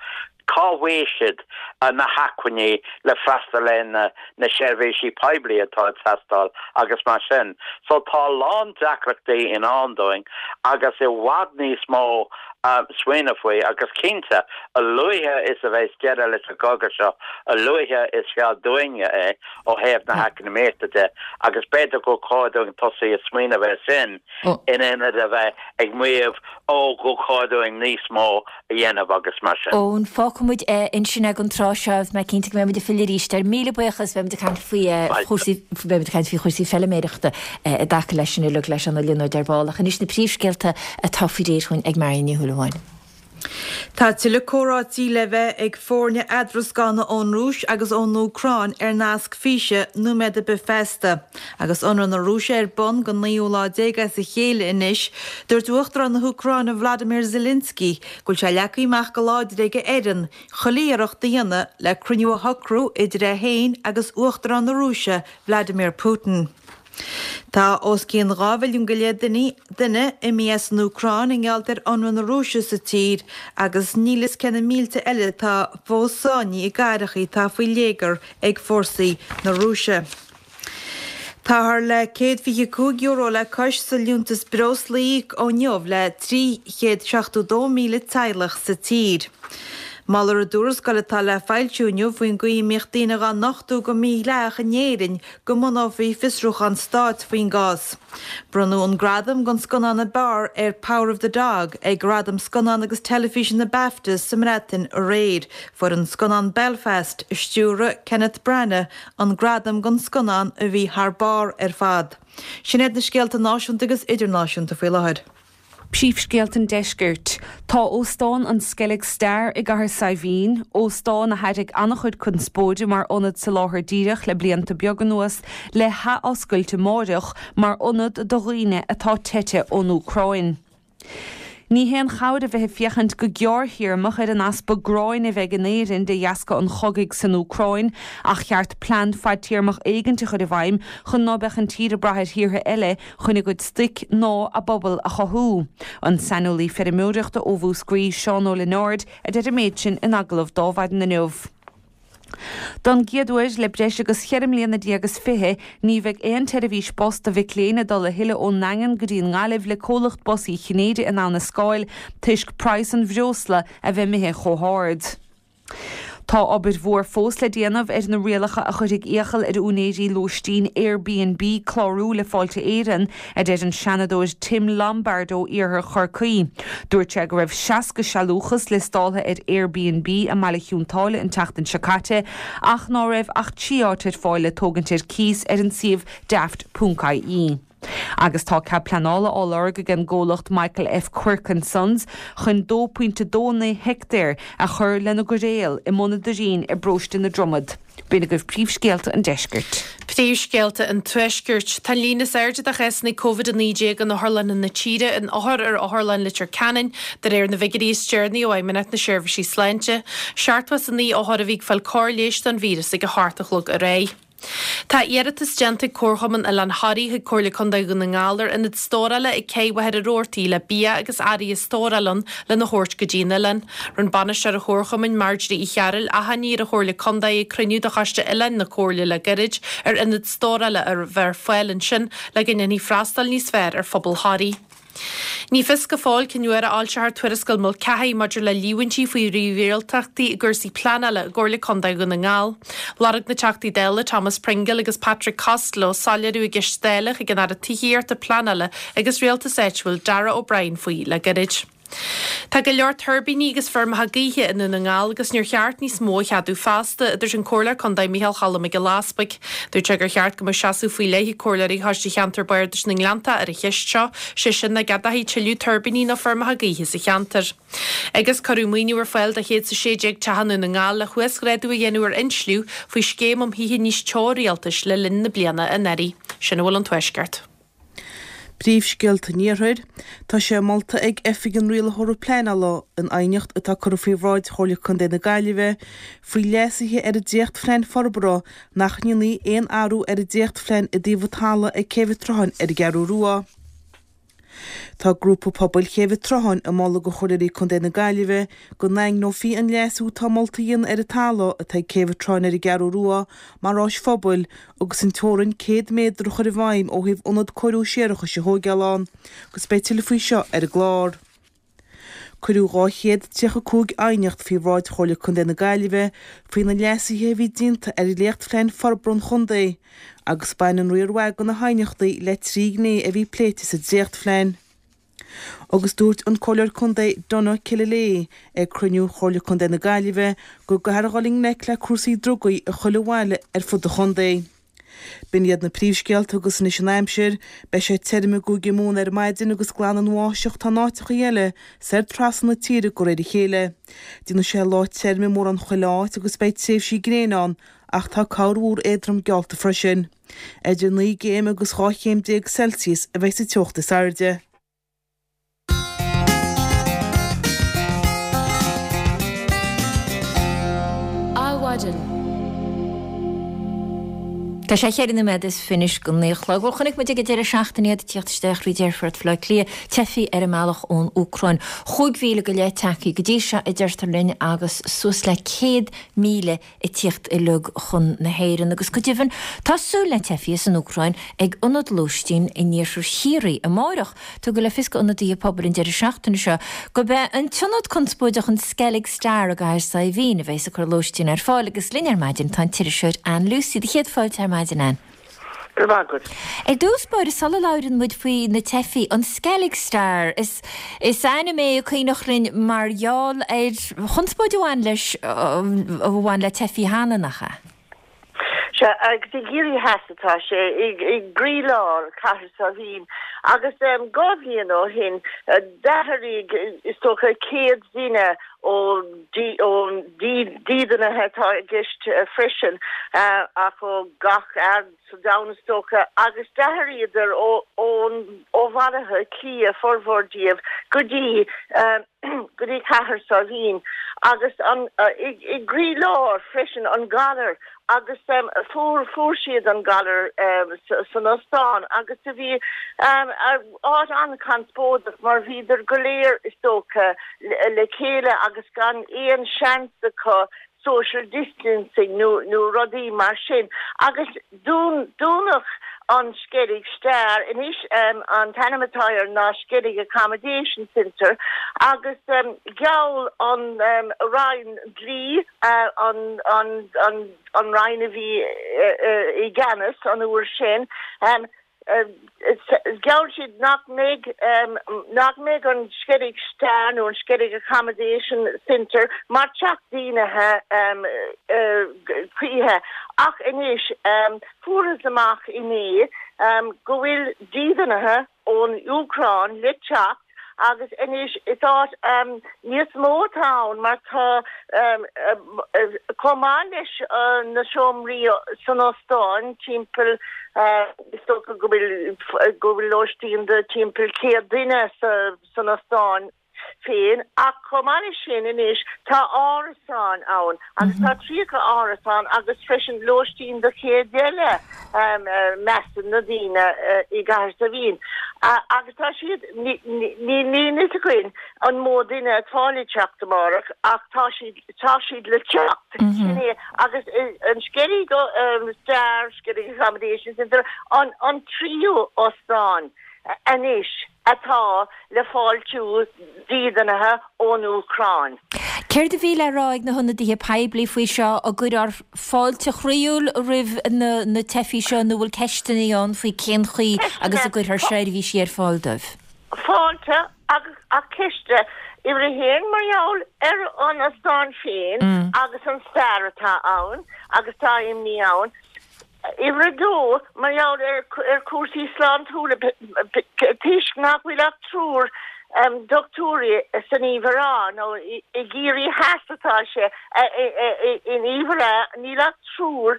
cá bhfaighidh siad na hacmhainní le freastal ar na na seirbhísí poiblí atá ag teastáil agus mar sin. So tá a lán deacrachtaí i ndán dúinn agus i bhfad níos mó smaoineamh faoi agus cinnte, a luaithe is a bheas deireadh leis an gcogadh seo, a luaithe is fearr dúinne é ó thaobh na heacnamaíochta de agus b'fhéidir gur chóir dúinn tosaí ag smaoineamh air sin in ionad a bheith ag maíomh ó gur chóir dúinn níos mó a dhéanamh agus mar sin. Eoin, fágfaidh muid é ansin ag an tráth seo agus mé cinnte go mbeidh muid ag filleadh arís air. Míle buíochas, beidh muid ag caint faoi chúrsaí, beidh muid ag caint faoi chúrsaí feiliméireachta i dtaca leis sin uilig le Seán Ó Lionáird ar ball. Ach anois na príomhscéalta atá faoi réir chugainn ag Marion Ní Shúilleabháin. Tá tuilleadh comhráití le bheith ag foirne eadroscána ón Rúis agus ón Úcráin ar nasc físe nóiméad ar bith feasta. Agus ionradh na Rúise ar bun don naoú lá déag as a chéile anois, dúirt Uachtarán na hÚcráine Vladimir Zelensky go bhfuil sé leagtha amach go láidir ag a fhoireann chuile iarracht a dhéanamh le cruinniú a shocrú idir é féin agus Uachtarán na Rúise Vladimir Putin. Tá os cionn 2 mhilliún go leith duine imithe as an Úcráin i ngeall ar ionradh na Rúise sa tír agus níl fhios cé na mílte eile atá fós sáinnithe i gcathracha atá faoi léigear ag fórsaí na Rúise. Táthar le €125 le cois sa liúntas breosla a íoc ó inniu le 372,000 teaghlach sa tír. Moltar i dtuarascáil atá le foilsiú inniu faoin gcaoi a mbíodh daoine dhá nochtadh go mídhleathach in Éirinn go mbunófaí fiosrúchán stáit faoin gcás. Bronnadh an gradam don scannán ab fhearr ar Power of the Dog ag Gradaim Scannán agus Teilifíse na BAFTAs sa mBreatain aréir. Fuair an scannán Belfast, a stiúraigh Kenneth Branagh, an gradam don scannán a bhí thar barr ar fad. Sin iad na scéalta náisiúnta agus idirnáisiúnta faoi láthair. Príomhscéalta an Deiscirt. Tá Óstán an Skellig Star i gCathair Saidhbhín, óstán a thairrig an-chuid conspóide mar ionad soláthair díreach le blianta beaga anuas, le hathoscailt amáireach mar ionad do dhaoine atá teite ón Úcráin. Ní haon chabhair a bheith ag féachaint go gearrthéarmach ar an easpa gráin a bheidh in Éirinn de dheasca an chogaidh san Úcráin ach cheart plean fadtéarmach éigint a chur i bhfeidhm chun ná beadh an tír ag brath ar thíortha eile chun a gcuid stoic ná a bpobal a chothú. An saineolaí feirmeoireachta ó Mhúscraí, Seán Ó Lionáird, a deir an méid sin in agallamh do Adhmhaidin inniu. Don gcéad uair le breis agus cheithre mbliana déag is 20, ní bheidh aon tseirbhís bus do mhic léinn ag dul a thuilleadh ón nDaingean go dtí an nGaillimh le comhlacht Bus Uí Chinnéide in Abha na Scáil toisc praghas an bhreosla a bheith imithe chomh hard. Tá obair mhór fós le déanamh ar na rialacha a chuirfidh iachall ar úinéirí lóistín Airbnb clárú le Fáilte Éireann, a deir an Seanadóir Tim Lombard ó iarthar Chorcaí. Dúirt sé go raibh 60 sealúchas liostáltha ar Airbnb i mBaile Chionn tSáile an tseachtain seo caite ach ná raibh ach 3 áit ar fáil le tógaint ar cíos ar an suíomh daft ponc ie. Agus tá cead pleanála á lorg ag an gcomhlacht Michael F Quirke and Sons chun 2.29 heictéar a chur lena gcoiréal i mBun an Doirín i bparóiste na Dromad. B'in agaibh príomhscéalta an deiscirt. Príomhscéalta an Tuaiscirt. Tá an líon is airde de chásanna Covid-19 in otharlanna na tíre in othair ar Otharlann Leitir Ceanainn, de réir na bhfigiúirí is deireanaí ó Fheidhmeannacht na Seirbhísí Sláinte. 79 othar a bhí ag fáil cóir leighis don víreas ag a hocht a chlog aréir. Tá iarratas déanta ag Comharchumann Oileán Thoraí chuig Comhairle Contae Dhún na nGall ar ionad stórála ag Cé Mhachaire Rabhartaigh le bia agus earraí a stóráil ann lena thabhairt go dtí an oileán. Rinne bainisteoir an Chomharchumainn, Marjorie Uí Chearúil, achainí ar an Chomhairle Contae ag cruinniú de Choiste Oileáin na Comhairle le gairid ar ionad stórála a bheith ar fáil ansin le go ndéanfaí freastal níos fearr ar phobal Thoraí. Ní fios go fóill cén uair a fhoilseofar tuarascáil Mulcahy maidir le líomhaintí faoi mhírialtachtaí i gcúrsaí pleanála i gComhairle Contae Dhún na nGall. Lorg na Teachtaí Dála Thomas Pringle agus Patrick Costello soiléiriú i gceist Dála chuig an Aire Tithíochta, Pleanála agus Rialtais Áitiúil Darragh O'Brien faoi le gairid. Tá go leor tuirbíní agus feirmeacha gaoithe i nDún na nGall agus níor cheart níos mó a cheadú feasta, a dúirt an Comhairleoir Contae Micheál Cholm Mac Giolla Easpaig. Dúirt sé gur cheart go mbeadh seasamh faoi leith ag Comhairleoirí Choiste Cheantar Bardais na nGleanntach ar an cheist seo, sé sin nach gceadófaí tuilleadh tuirbíní nó feirmeacha gaoithe sa cheantar. Agus cuireadh maoiniú ar fáil do 116 teach i nDún na nGall le huasghrádú a dhéanamh ar insliú faoi Scéim um Thithe Níos Teo Rialtais le linn na bliana anuraidh. Sin a bhfuil ón Tuaisceart. Príomhscéalta an Iarthair, Tá sé molta ag Oifig an Rialaitheora Pleanála in aighneacht atá curtha faoi bhráid Chomhairle Contae na Gaillimhe faoi leasuithe ar an dréachtphlean forbartha nach ndéanfaí aon athrú ar an dréachtphlean i dtaobh an talaimh ag Céibh an tSrutháin ar an gCeathrú Rua. Tá Grúpa Pobail Chéibh an tSrutháin ag moladh do Chomhairleoirí Contae na Gaillimhe go ndaingneofaí an leasú atá molta a dhéanamh ar an talamh atá ag Céibh an tSrutháin ar an gCeathrú Rua mar áis phobail agus an teorainn 100 méadar a chur i bhfeidhm ó thaobh ionad cóiriú séarachais a thóigeáil ann, agus beidh tuilleadh faoi seo ar an gclár. Cuireadh 235 aighneacht faoi bhráid Chomhairle Contae na Gaillimhe faoi na leasuithe a bhí déanta ar Dhréachtphlean Forbartha an Chontae, agus baineann riar mhaith de na haighneachtaí le trí ghné a bhí pléite sa dréachtphlean. Agus dúirt an Comhairleoir Contae Donagh Killilea ag cruinniú Chomhairle Contae na Gaillimhe go gcaithfear dhul i ngleic le cúrsaí drugaí i chuile bhaile ar fud an chontae. B'in iad na príomhscéalta agus anois an aimsir, beidh sé tirim i gCúige Mumhan ar maidin agus glan ón bháisteach atá in áiteachaí eile soir trasna na tíre de réir a chéile. Déanfaidh sé lá tirim i mórán chuile áit agus beidh tréimhsí gréine ann ach tá corrmhúr éadrom geallta freisin. Idir 9 gcéim agus 12 chéim Celsius a bheidh sa teocht is airde. Adhmhaidin. Tá sé cheithre nóiméad is fiche anois go naoi a chlog. Bhuel, chonaic muid ag an deireadh seachtaine iad ag tíocht isteach thríd aerfort Bhaile Átha Cliath, teifigh ar a mbealach ón Úcráin. 5,000 go leith tagtha go dtí seo, a deirtear linn, agus suas le 100,000 ag tíocht uilig chun na hÉireann agus go deimhin tá súil le teifigh as an Úcráin ag ionad lóistín in iarthar Chiarraí amárach. Tugadh le fios d'ionadaithe pobail an deireadh seachtaine seo gurb é an t-ionad conspóideach an Skellig Star i gCathair Saidhbhín a bheas ag cur lóistín ar fáil agus linn ar maidin tá an t-iriseoir Ann Lucey. Do chéad fáilte ar maidin, Ann. Go raibh maith agat. Ar dtús báire, sula labhrann muid faoi na teifigh, an Skellig Star, is is ainm é a cuimhneach linn mar gheall ar chonspóid a bhain leis, a bhain le teifigh cheana, nach ea? Sea, agus i gCiarraí Theas atá sé, i gcroílár Chathair Saidhbhín. Agus dhá bhliain ó shin, d'athraigh, is dócha, 100 duine ó dídeanaithe atá i gceist freisin, ach ó gach aird sa domhan is dócha, agus d'athraíodar ó ó Bhaile Átha Cliath, formhór díobh, go dtí go dtí Cathair Saidhbhín. Agus an i gcroílár freisin an galar agus fuair fuair siad an galar san ostán agus do bhí áit an-chonspóideach mar bhíodar go léir is dócha le chéile agus gan aon seans acu social distancing nó nó rudaí mar sin agus dún dúnadh. An Sceilg Star anois an t-ainm atá air ná Skellig Accommodation Centre agus gheall an Roinn Dlí, an Roinn a bhí i gceannas an uair sin, Gheall siad nach mbeidh nach mbeidh an Skellig Star nó an Skellig Accommodation Centre mar teach dídeanaithe choíche ach anois fuarthas amach inné go bhfuil dídeanaithe ón Úcráin le teacht agus anois is áit níos mó atá ann mar tá chomh maith leis na seomraí san óstán timpeall is dócha go bhfuil go bhfuil lóistín do timpeall 100 duine san óstán féin ach chomh maith leis sin anois tá árasáin ann agus tá 30 árasán agus freisin lóistín do 100 eile measann na daoine i gCathair Saidhbhín. Agus tá siad, níl fhios againn an mó duine atá le teacht amárach ach tá siad, tá siad le teacht, sin é. Agus an Skellig Star, Skellig Accommodation Centre, an tríú óstán anois atá le fáiltiú dídeanaithe ón Úcráin. Céard a bhí le rá ag na hionadaithe poiblí faoi seo? An gcuirfear fáilte chroíúil roimh na teifigh seo nó bhfuil ceisteanna ann faoi cén chaoi agus a gcuirfear seirbhísí ar fáil dóibh? Fáilte agus ach ceist uimhir a haon mar gheall ar an ostán féin agus an stair atá ann agus tá imní ann. Uimhir a dó, mar gheall ar chúrsaí sláintiúla, toisc nach bhfuil ach triúr dochtúirí san Uíbh Ráthach, nó i gCiarraí Theas atá sé, in Uíbh Ráthach, níl ach triúr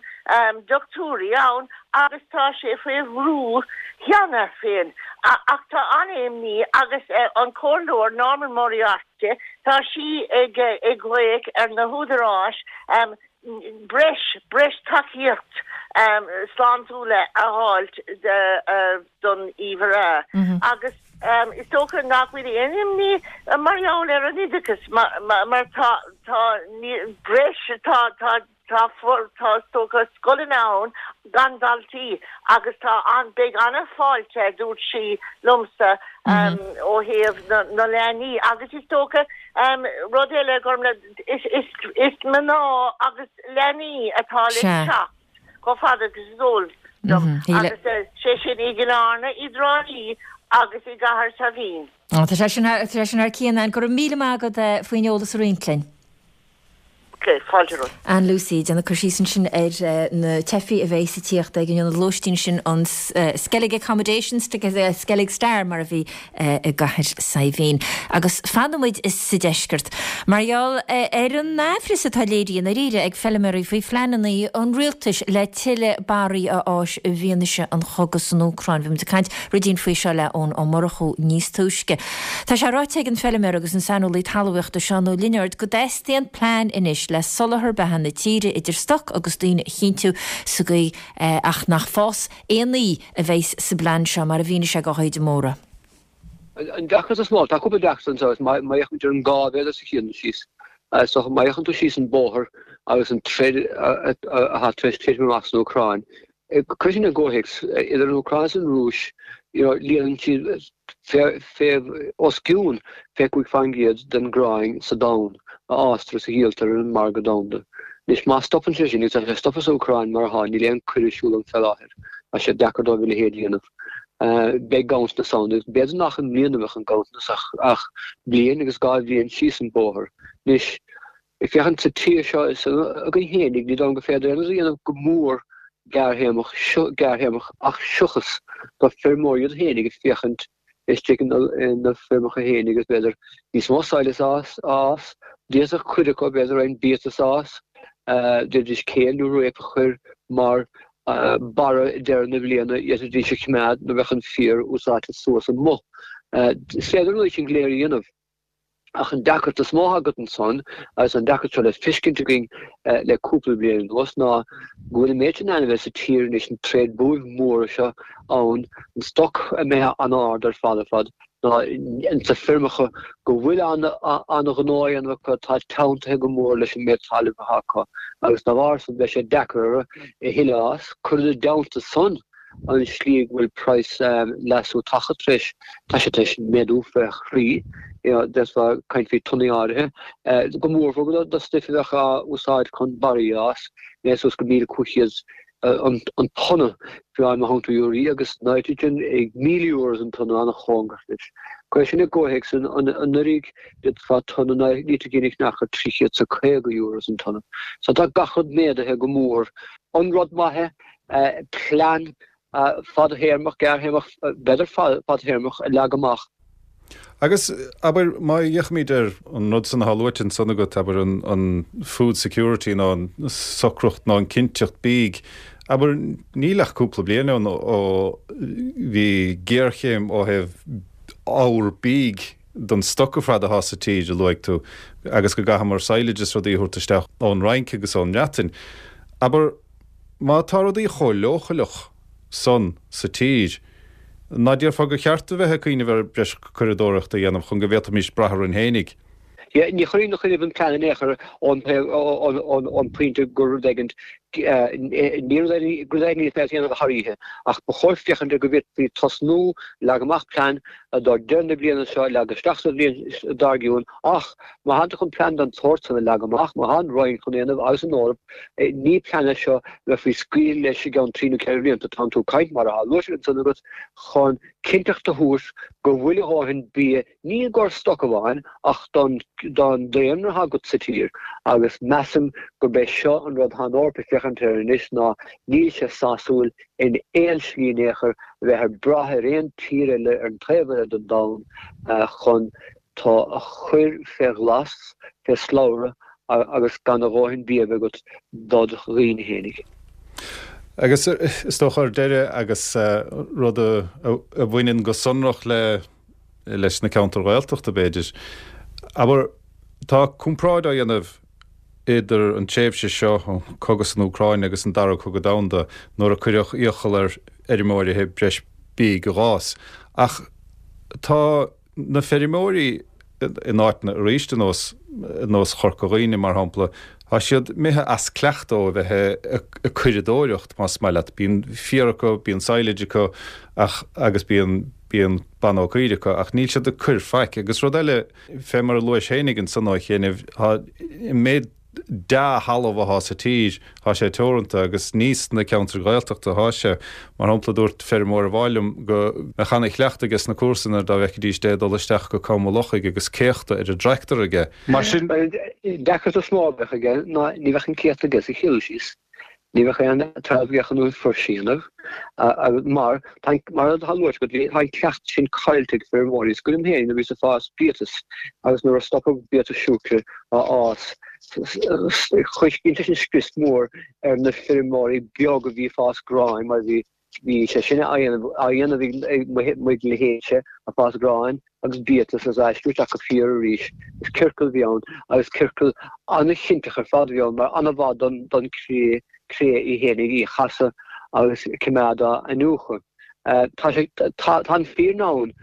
dochtúirí ann agus tá sé faoi bhrú cheana féin. Ach tá an-imní agus an Comhairleoir Norma Moriarty, tá sí ag glaoch ar na húdaráis breis, breis tacaíocht sláintiúla a fháilt don Uíbh Ráthach agus is dócha nach bhfuil aon imní mar gheall ar an oideachas mar tá, tá breis, tá, tá, tá, tá is dócha scoileanna ann gan daltaí agus tá an, beidh an-fháilte a dúirt sí liomsa ó thaobh na leanaí agus is dócha rud eile Gormfhlaith, Is mná agus leanaí atá le teacht chomh fada agus is eol dom, agus sé sin i gCill Airne, i dTrá Lí agus i gCathair Saidhbhín. Tá sé sin thar cionn, Ann. Go raibh míle maith agat faoin eolas a roinnt linn. Ok, fáilte romhat. Ann Lucey, ag déanamh cur síos ansin ar na teifigh a bheidh ag tíocht ag an ionad lóistín sin, an Skellig Accommodation, Skellig Star mar a bhí i gCathair Saidhbhín. Agus fanfaidh muid sa deisceart mar gheall ar an aimhreas atá léirithe i ndáiríre ag feilméaraí faoi phleananna an rialtais le tuilleadh barraí a fhás i bhfianaise an chogaidh san Úcráin. Bhí muid ag caint rudín faoi seo le Eoin Ó Murchú níos túisce. Tá sé ráite ag an feilméara agus an saineolaí talmhaíochta Seán Ó Lionáird go dteastaíonn plean anois le soláthar beatha na tíre idir stoc agus daoine a chinntiú sa gcaoi ach nach fás aon ní a bheas sa bplean seo, mar a mhínigh sé do Thaoide Móra. An deacracht is mó, tá cúpla deacracht anseo, is má fhéachann muid ar an gá mhéadar sa chian síos, is dócha, má fhéachann tú síos an bóthar agus an troid atá tar éis titim amach san Úcráin, cuir sin i gcomhthéacs, idir an Úcráin is an Rúis, you know, líonann siad fé, os cionn 25% den ghráin sa domhan a fhástar is a dhíoltar ar an margadh domhanda. Anois, má stopann sé sin, agus tá sé stoptha sa Úcráin mar atá, níl aon coir ar siúl ann fé láthair, tá sé deacair dóibh a leithéid a dhéanamh, beidh ganntanas ann, agus b'fhéidir nach i mbliana a bheadh an ganntanas ach ach bliain agus dhá bhliain síos an bóthar. Anois, ag féachaint sa tír seo againn fhéinig, ní dóigh liom gur féidir aon rud a dhéanamh go mór gearrthéarmach, gearrthéarmach ach seochas do feirmeoirí iad fhéinig ag féachaint istigh ina feirmeacha féin agus b'fhéidir níos mó sadhlas a fhás, d'fhéadfadh cuid acu b'fhéidir roinnt biatas a fhás, d'fhéadfaidís kale nó rape a chur mar barra ag deireadh na bliana, d'fhéadfaidís a choimeád nuair a bheadh an féar úsáidte suas amuigh. Is féidir an rudaí sin go léir a dhéanamh. Ach an deacracht is mó agat ansan, agus an deacracht seo le feiscint againn le cúpla bliain anuas, ná go bhfuil an méid sin ainmhithe sa tír anois, an tréad buaibh mór seo ann, an stoc imithe an-ard ar fad ar fad, ná ins na feirmeacha go bhfuil an-ghnó á dhéanamh acu atá teanntaithe go mór leis an méid talaimh atá acu, agus dá bharr san beidh sé deacair orthu a thuilleadh a fhás. Cuir ina dteannta san. an slí go bhfuil praghas leasú taca tar éis, tá sé tar éis méadú fé thrí, you know, d'fhéadfá caint faoi tonnaí áirithe, go mórmhór do stuif a bheadh á úsáid chun barraí a fhás, méadú suas go 1,500 an tonna fiú amháin má thógann tú urea agus nitrogen ag 1,000 euros an tonna an-chóngarach leis. Cuir sin i gcomhthéacs anuraidh d'fhéadfá tonna nitrigine a cheannach ar 350 euros an tonna. So tá gach rud méadaithe go mór. An rud maith é plean fadthéarmach, gearrthéarmach, b'fhéidir fadthéarmach a leagadh amach. Agus, abair, má fhéachaimid ar an rud san atá luaite ansan agat, abair, an food security nó an socracht nó an cinnteacht bídh, abair, níl ach cúpla bliain ann ó bhí géarchéim ó thaobh ábhar bídh don stoc ar fad atá sa tír, a luaigh tú, agus go gcaitheamar silage is rudaí a thabhairt isteach ón Fhrainc agus ón mBreatain. Abair, má tá rudaí chomh leochaileach san sa tír. Ná déarfá gur cheart a bheith ag cuimhneamh ar breis curadóireachta a dhéanamh chun go bhféadfaimis brath orainn fhéinig? Yeah, ní chuirfinn a chuimhneamh an plean in aon chor ón pointe gur rud éigin, ní rud éigin is féidir a dhéanamh thar oíche, ach ba chóir féachaint ar go bhféadfaí tosnú, leagan amach plean do deireadh na bliana seo, leagan isteach sa bhliain dár gcionn, ach má thánn tú chun plean den tsórt san a leagan amach, má thá an Roinn chun é a dhéanamh agus an Eoraip, Ní plean é seo a bheifí ag scaoileadh leis i gceann trí nó ceithre blianta. Tánn tú ag caint, mar atá luaite ansan agat, chun cinnteacht a thabhairt go bhfuil a dhóthain bia, ní i gcomhair stoc amháin ach don daonra atá agat sa tír. Agus measaim gurb é seo an rud atá an Eoraip ag féachaint air anois ná níl sé sásúil in aon slí in aon chor a bheith ag brath ar aon tír eile ar an taobh eile den domhan chun tú a chur fé ghlas, fé slabhra agus gan a dhóthain bia a bheith agat dod dhaoine fhéinig. Agus is dócha ar deireadh, agus rud a bhaineann go sonrach le leis na ceantair Ghaeltachta b'fhéidir, abair, tá comparáid á dhéanamh idir an tréimhse seo, an cogadh san Úcráin agus an Dara Cogadh Domhanda, nuair a cuireadh iachall ar fheirmeoirí breis bídh a dh'fhás. Ach tá. Na feirmeoirí in áiteanna arís ar nós ar nós Chorca Dhuibhne mar shampla, tá siad imithe as cleachtadh ó a bheith ag curadóireacht más maith leat. Bíonn féar acu, bíonn silage acu ach agus bíonn bíonn banbha caoirigh acu ach níl siad ag cur faic. Agus rud eile, fé mar a luais fhéinig ansan ó chianaibh, tá an méid dea-thalamh athá sa tír, thá sé teoranta agus ní sna ceantair Ghaeltachta athá sé. Mar shampla, dúirt feirmeoir amháin liom go mbeadh ana-chleachtadh aige sna comharsana dá bhfeicfidís é ag dul isteach go Com an Lochaigh agus céachta ar an dtractor aige. Mar sin. An deacracht is mó a bheadh aige ná ní bheadh an céachta aige sa chill síos. Ní bheadh aon trealamh aige chun an fuirse a dhéanamh mar, mar atá luaite agat, tá an cleachtadh sin caillte ag feirmeoirí. Is cuimhin liom féin nuair a bhíos ag fás biatas agus nuair a stopadh biatas siúcra á fhás, dhein sé sin scrios mór ar na feirmeoirí beag a bhí ag fás gráin mar bhí bhí sé sin á dhéanamh ag mo leithéidse ag fás gráin agus biatas agus aistriú isteach go féar arís. Is ciorcal a bhí ann agus ciorcal an-chinnteach ar fad a bhí ann mar an-mhaith don chré, cré í fhéinig í a chasadh agus coimeád á iniúchadh. Tá sé, tá an fírinne ann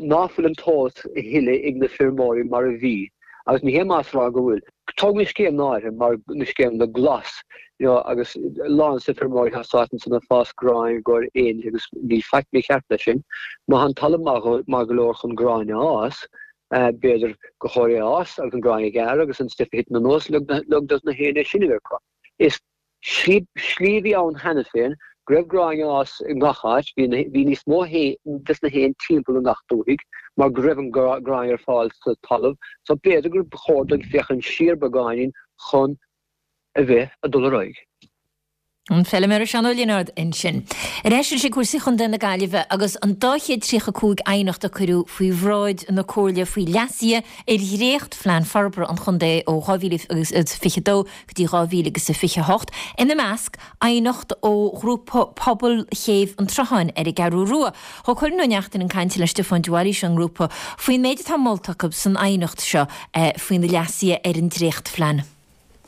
ná fuil an t-eolas a thuilleadh ag na feirmeoirí mar a bhí agus ní hé masla a rá go bhfuil. Tóg na scéimeanna áirithe mar na scéimeanna glas you know agus a lán de na feirmeoirí atá sáite ansan ag fás gráin i gcomhair éin agus níl faic mícheart leis sin. Má tá an talamh maith go leor chun gráin a fhás, b'fhéidir gur chóir é a fhás agus an gráin a ghearradh agus an stuif a thiteann anuas lig dos na héin é sin a bheith acu. Is Slí a bhí ann cheana féin go raibh gráin á fhás i ngach áit, bhí níos mó des na héin timpeall i ngach dúthaigh mar go raibh an gráin ar fáil sa talamh, so b'fhéidir gur chóir dúinn féachaint siar beagáinín chun a bheith ag dul ar aghaidh. An feilméara Seán Ó Lionáird ansin. Ar ais anois ag cúrsaí Chontae na Gaillimhe agus an dá chéad 35 aighneacht a cuireadh faoi bhráid na Comhairle faoi leasuithe ar dhréacht-Phlean Forbartha an Chontae ó 2022 go dtí 2028, ina measc, aighneacht ó ghrúpa pobail Chéibh an tSrutháin ar an gCeathrú Rua. Thug Cuireann Ó Neachtain chun cainte le Stiofán de Bhailís ón ngrúpa faoin méid atá molta acu san aighneacht seo faoi na leasuithe ar an dréachtphlean.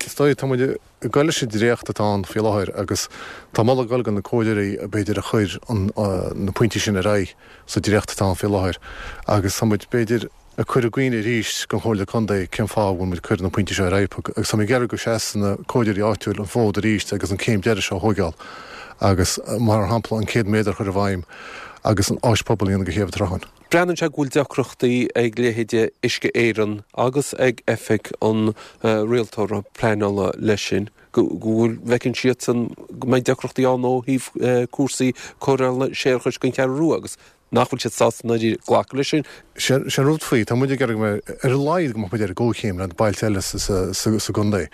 Is dóigh, tá muid ag goil leis an dréacht atá ann faoi láthair agus tá moladh ag goil go na comhairleoirí b'fhéidir a chuir na pointí sin ar aghaidh sa dréacht atá ann faoi láthair agus tá muid b'fhéidir ag cur i gcuimhne arís don Chomhairle Contae cén fáth a bhfuil muid ag cur na pointí seo ar aghaidh agus tá muid ag iarraidh go seasann na comhairleoirí áitiúil an fód arís agus an céim deiridh seo a thóigeáil. Agus, mar shampla, an 100 méadar a chur i bhfeidhm agus an áis pobail a dhéanamh de Chéibh an tSrutháin. Breathnaíonn sé go bhfuil deacrachtaí ag leithéide Uisce Éireann agus ag Oifig an Rialtóra Pleanála leis sin, go bhfuil, bhfeiceann siadsan go mbeidh deacrachtaí ann ó thaobh cúrsaí cóireála séarachais don Cheathrú Rua agus nach bhfuil siad sásta i ndáiríre glacadh leis sin. Sé an rud faoi, tá muid ag iarraidh go mbeidh, ar a laghad go mbeadh muid ar an gcomhchéim le bailte eile sa gcontae.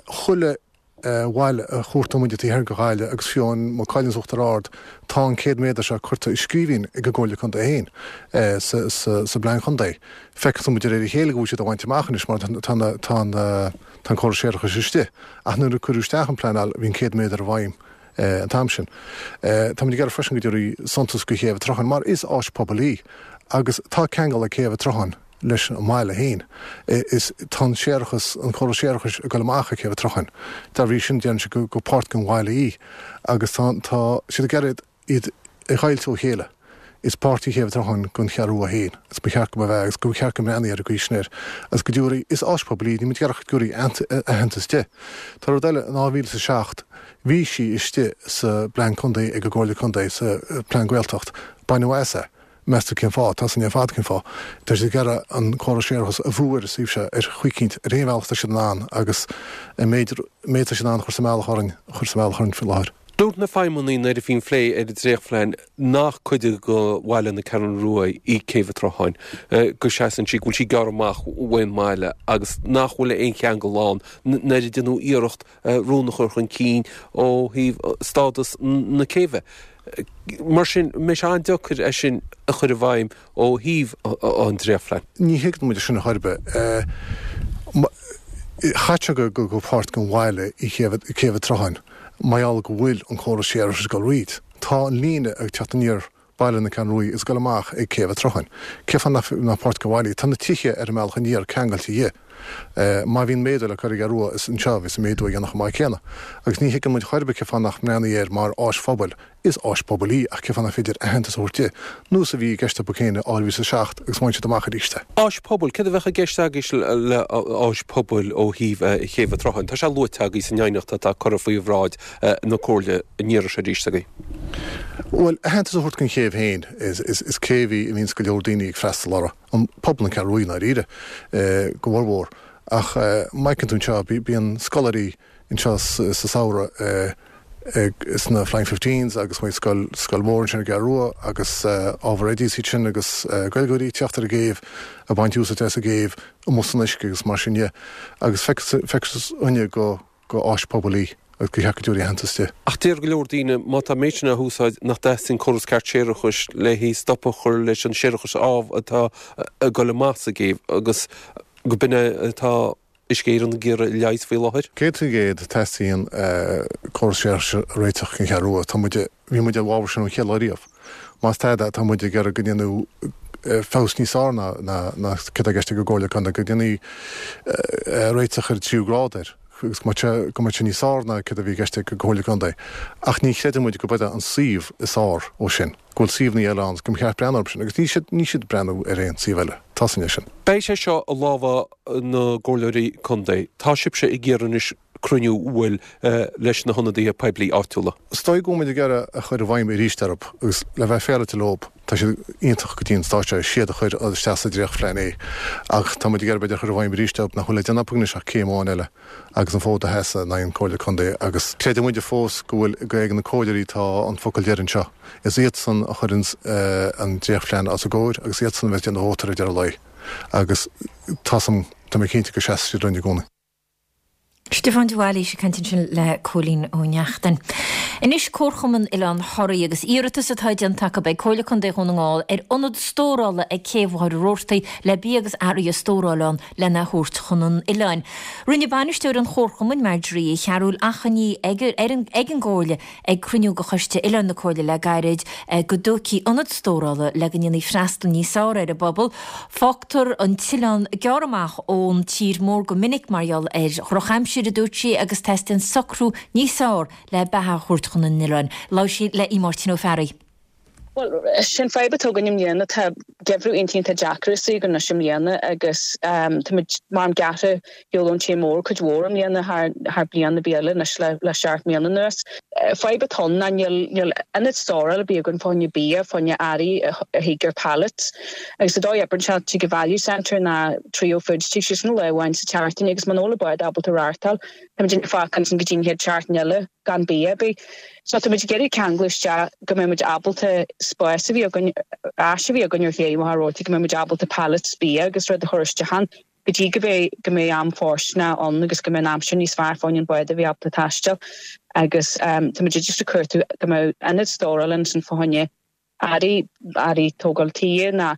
Chuile bhaile a chuartaíonn muid taobh thiar de Ghaillimh agus fiú amháin Maigh Cuilinn is Uachtar Ard, tá an 100 méadar seo curtha i scríbhinn ag an gComhairle Contae féin sa bplean contae. Feicfidh muid de réir a chéile go bhfuil siad á bhaint amach anois mar tá an córas séarachais istigh. Ach nuair a cuireadh isteach an pleanáil bhí an 100 méadar i bhfeidhm an t-am sin. Tá muid ag iarraidh freisin go dtabharfaí suntas do Chéibh an tSrutháin mar is áis pobail í agus tá ceangal ag Céibh an tSrutháin leis an mbaile féin. Is tá an séarachas, an córas séarachais ag dul amach ag Céibh an tSrutháin. Dá bhrí sin déanann sé gur páirt den bhaile í agus tá tá siad ag iarraidh iad a dheighilt ó chéile. Is páirt í Céibh an tSrutháin den Cheathrú Rua féin agus ba cheart go mba ea agus go cheart go mbreathnaí ar an gcaoi sin air agus go dtabharfaí, is áis pobail í, níl muid ag iarraidh ach go dtabharfaí aitheantas di. Tá rud eile, in 2007 bhí sí istigh sa bplean contae ag an gComhairle Contae, sa Plean Gaeltacht, baineadh as é. Meas tú cén fáth? Tá 's againn ar fad cén fáth. Tá siad ag iarraidh an córas séarachais a bhrú ar an suíomh seo ar chaoi eicínt, ar aon bhealach atá siad in ann agus an méid méid atá siad in ann a chur sa mbealach orainn, a chur sa mbealach orainn faoi láthair. Dúirt na feidhmeannaigh nuair a bhí an phlé ar an dréachtphlean nach cuid de bhaile na Ceathrún Rua í Céibh an tSrutháin, go seasann sí, go bhfuil sí gearrtha amach ón mbaile agus nach bhfuil aon cheangal ann nuair a déanadh iarracht rún a chur chun cinn ó thaobh stádas na céibhe. Mar sin, mbeidh sé an-deacair é sin a chur i bhfeidhm ó thaobh an dréachtphlean. Ní thuigeann muid sin ar chor ar bith. Chaithfeadh sé gur páirt den bhaile í Céibh an tSrutháin mar gheall go bhfuil an córas séarachais ag dul thríd. Tá an líne ag teacht aniar Baile na Ceathrún Rua is ag dul amach ag Céibh an tSrutháin. Cén fáth nach nach páirt den bhaile í? Tá na tithe ar an mbealach aniar ceangailte dhi. Má bhíonn méadú le cur ar an gCeathrú Rua is anseo a bheas an méadú á dhéanamh chomh maith céanna. Agus ní thuigeann muid chor ar bith cén fáth nach mbreathnaí air mar áis phobail. Is áis pobail í ach cén fáth nach féidir aitheantas a thabhairt di? Nós a bhí i gceist acu féin i 2007 agus bhain siad amach arís é. Áis pobail, céard a bheadh i gceist agaibh le áis pobail ó thaobh Chéibh an tSrutháin? Tá sé luaite agaibh san aighneacht atá curtha faoi bhráid na Comhairle an iarraidh seo arís agaibh. Bhuel, aitheantas a thabhairt don chéibh féin, is céibh í a mbíonns go leor daoine ag freastal uirthi, an pobal na Ceathrún Rua i ndáiríre, go mhórmhór. Ach má fheiceann tú anseo, bíonn scoláirí anseo sa samhradh sna Flying Fifteens agus bíonn scoil, scoil mhór ansin ar an gCeathrú Rua agus ábhar oidí is iad sin agus Gaeilgeoirí ag teacht ar an gcéibh, ag baint úsáid as an gcéibh amuigh san uisce agus mar sin de. Agus feictear dúinne go. gur áis pobail í agus gur cheart go dtabharfaí aitheantas di. Ach deir go leor daoine, má tá an méid sin á húsáid, nach dteastaíonn córas ceart séarachais le haghaidh stop a chur leis an séarachas ámh atá ag dul amach sa gcéibh agus go b'in é atá Uisce Éireann ag iarraidh a leigheas faoi láthair. 100% teastaíonn córas séarachais a réiteach don Cheathrú Rua. Tá muid, bhí muid i bhfabhar sin ón chéad lá riamh. Más tada, tá muid ag iarraidh go ndéanfaí feabhas níos fearr ná ná céard atá i gceist ag an gComhairle Contae, go ndéanfaí réiteach ar an tríú grád air agus go mbeadh sé go mbeadh sé níos fearr ná céard a bhí i gceist ag an gComhairle Contae. Ach ní chreideann muid go b'é an suíomh is fearr ó sin, go bhfuil suíomhanna eile ann agus go mba cheart breathnú orthu sin agus níl siad níl siad ag breathnú ar aon suíomh eile. Tá san é sin. Beidh sé seo i lámha na gcomhairleoirí contae. Tá sibhse ag iarraidh anois cruinniú a bhfuil leis na hionadaithe poiblí áitiúla. Is dóigh go bhfuil muid ag iarraidh a chur i bhfeidhm arís orthu agus le bheith féaráilte leo, tá siad iontach go dtí an stáitse seo, is iad a chuir isteach sa dréachtphlean é ach tá muid ag iarraidh b'fhéidir a chur i bhfeidhm arís orthu nach bhfuil le déanamh acu anois ach céim amháin eile agus an fód a sheasamh in aghaidh an Comhairle Contae agus creideann muide fós go bhfuil go ag na comhairleoirí atá an focal deiridh anseo. Is iadsan a chuireann an dréachtphlean os a gcomhair agus iadsan a bheas ag déanamh vóta ar deireadh lae agus tá tá mé cinnte go seasfaidh siad linn i gcónaí. Stiofán de Bhailís ag caint ansin le Cóilín Ó Neachtain. Anois Comharchumann Oileán Thoraí agus iarratas atá déanta acu ag Comhairle Contae Dhún na nGall ar ionad stórála ag Céibh Mhachaire Rabhartaigh le bia agus earraí a stóráil ann lena thabhairt chun an oileáin. Rinne bainisteoir an Chomharchumainn, Marjorie Uí Chearúil, achainí ag an gComhairle Ag cruinniú de Choiste Oileáin na Comhairle le gairid, go dtógfaí ionad stórála le go ndéanfaí freastal níos fearr ar an bpobal. Fágtar an t-oileán gearrtha amach ón tír mór go minic mar gheall ar dhrochaimsir, a dúirt sí, agus teastaíonn socrú níos fearr le beatha a thabhairt chun an oileáin. Labhair sí le Máirtín Ó Fearraigh. Bhuel, sin fadhb atá againn i mbliana. Tá geimhreadh iontach iontach deacair istigh againn anois i mbliana agus táimid mar gearrtha ar shiúl ón tír mór cuid mhór i mbliana thar thar bliain ar bith eile anois le le seacht mbliana anuas. Fadhb atá ann ná níl níl ionad stórála ar bith againn fá choinne bia, fá choinne earraí a thig ar pallets agus an dóigh a oibreann sé tig an Value Centre ná Trio Foods tig siad sin lá amháin sa tseachtain agus muna bhfuil an bád ábalta reáchtáil táimid ag fágáil ansin go dtí an chéad seachtain eile. gan bia ar bith. So tá muid ag iarraidh ceangal isteach go mbeidh muid ábalta spás a bhí againn, áis a bhí againn ar ché Mhachaire Rabhartaigh, go mbeidh muid ábalta pallets bia agus rud a chur isteach ann go dtí go mbeidh, go mbeidh am fóirsteanach ann agus go mbeidh an aimsir níos fearr fá choinne an bád a bheith ábalta taisteal agus tá muid just ag cuartú go mbeadh ionad stórála ansin fá choinne earraí, earraí tógáil tí ná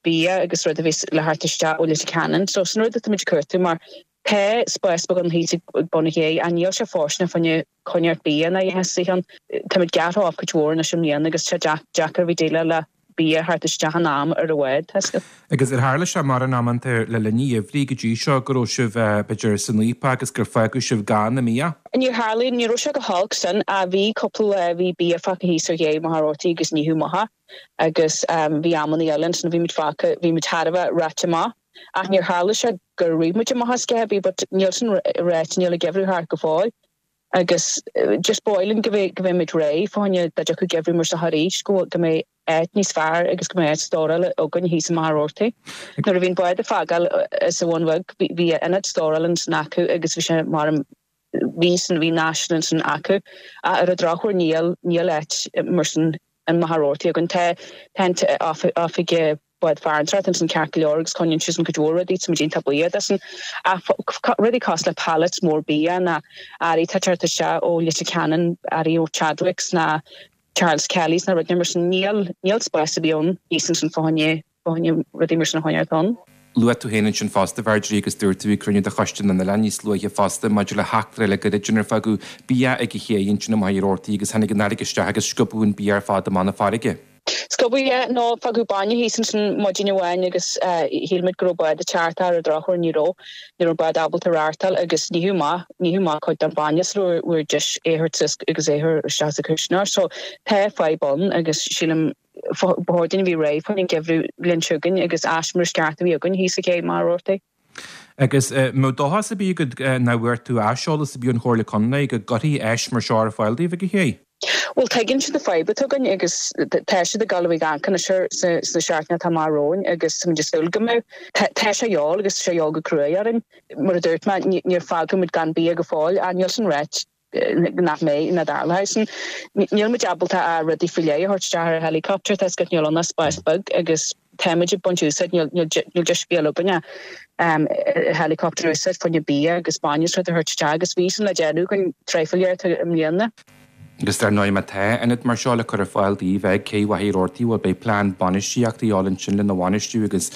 bia agus rud a bheas le theacht isteach ó Leitir Ceanainn. So sin rud atá muid ag cuartú mar tá spás beag ann thíos ag bun an ché ach níl sé fóirsteanach fá choinne coinneáil bia ná a dhath istigh ann. Tá muid gearrtha off cuid mhór anois i mbliana agus tá sé deacair a bheith déileáil le bia a theacht isteach in am ar an bhád, tá 'fhios agat. Agus ar tharla sé mórán amanta le linn an gheimhridh go dtí seo go raibh sibh, b'fhéidir, san fhaopach agus gur fágadh sibh gann i mbia? Níor tharla, ní raibh sé go holc sin ach bhí cúpla lá, bhí bia fágtha thíos ar ché Mhachaire Rabhartaigh agus nítheadh amach é agus bhí amanna eile ansin a bhí muid fágtha, bhí muid thar a bheith reoite amach ach níor tharla sé gur rith muid amach as a dhath ar bith but níl sin ráite, níl an geimhreadh thart go fóill. Agus just ba mhaith linn go mbeidh, go mbeidh muid réidh fá choinne dá dtiocfadh geimhreadh mar seo arís, go bhfuil, go mbeidh áit níos fearr agus go mbeidh áit stórála againn thíos i Machaire Rabhartaigh. Nuair a bhí an bád ag fágáil as an Bhun Bheag, bhí, bhí ionad stórála ansin acu agus bhí sé mar, bhí san, bhí an áis ansin acu. Ach ar an drochuair níl, níl áit mar sin i Machaire Rabhartaigh againn. Tá, tá an oifig Bád Farantóireachta ansin ceart go leor agus coinníonn siadsan cuid mhór rudaí, tá muid iontach buíoch de sin. Ach rudaí cosúil le pallets mór bia ná earraí atá ag teacht isteach ó Leitir Ceanainn, earraí ó Chadwicks ná Charles Kelly's ná rudaí mar sin, níl, níl spás ar bith ann thíos ansin fá choinne, fá choinne rudaí mar sin a choinneáil ann. Luaigh tú féin ansin fosta, Mharjorie, agus dúirt tú ag cruinniú de Choiste na nOileán níos luaithe fosta maidir le heachtra le gairid inar fágadh bia ag an ché ansin i Machaire Rabhartaigh agus tháinig an fharraige isteach agus sciobadh an bia ar fad amach na farraige. Sciobadh, yeah, nó fágadh bainne thíos ansin maidin amháin agus shíl muid go raibh bád ag teacht ach ar an drochuair ní raibh, ní raibh an bád ábalta reáchtáil agus nítheadh amach, nítheadh amach cuid den bhainne sula bhfuair deis é a thabhairt suas agus é a chur isteach sa chuisneoir. So tá fadhb ann agus sílim ba chóir dúinn a bheith réidh fá choinne an geimhreadh bhliain seo chugainn agus áis mar is ceart a bheith againn thíos ag cé Machaire Rabhartaigh. Agus an mbeadh dóchas ar bith agat nó an bhfuair tú aiseolas ar bith ón Chomhairle Contae go gcuirfí áis mar seo ar fáil daoibh ag an ché? Bhuel, tuigeann siad an fadhb atá againn agus tá siad ag dul a bheith ag amharc anois air sna seachtainí atá amach romhainn agus táimid ag súil go mbeidh. Tá sé a dhíobháil agus tá sé a dhíobháil go cruaidh orainn. Mar a dúirt mé, níor fágadh muid gan bia go fóill ach níl sin ráite nach mbeidh, nach dtarlóidh sin. Níl muid ábalta ach rudaí faoi leith a thabhairt isteach ar helicopter, tá 'fhios agat níl ann ach spás beag agus tá muid ag baint úsáid, níl deis ar bith eile againn ach helicopter a úsáid fá choinne bia agus bainne is rud a thabhairt isteach agus bhí sin le déanamh againn tráth faoi leith i mbliana. Agus dar ndóigh má tá ionad mar seo le cur ar fáil daoibh ag Cé Mhachaire Rabhartaigh, bhuel beidh plean bainistíochta a dhíobháil ansin lena bhainistiú agus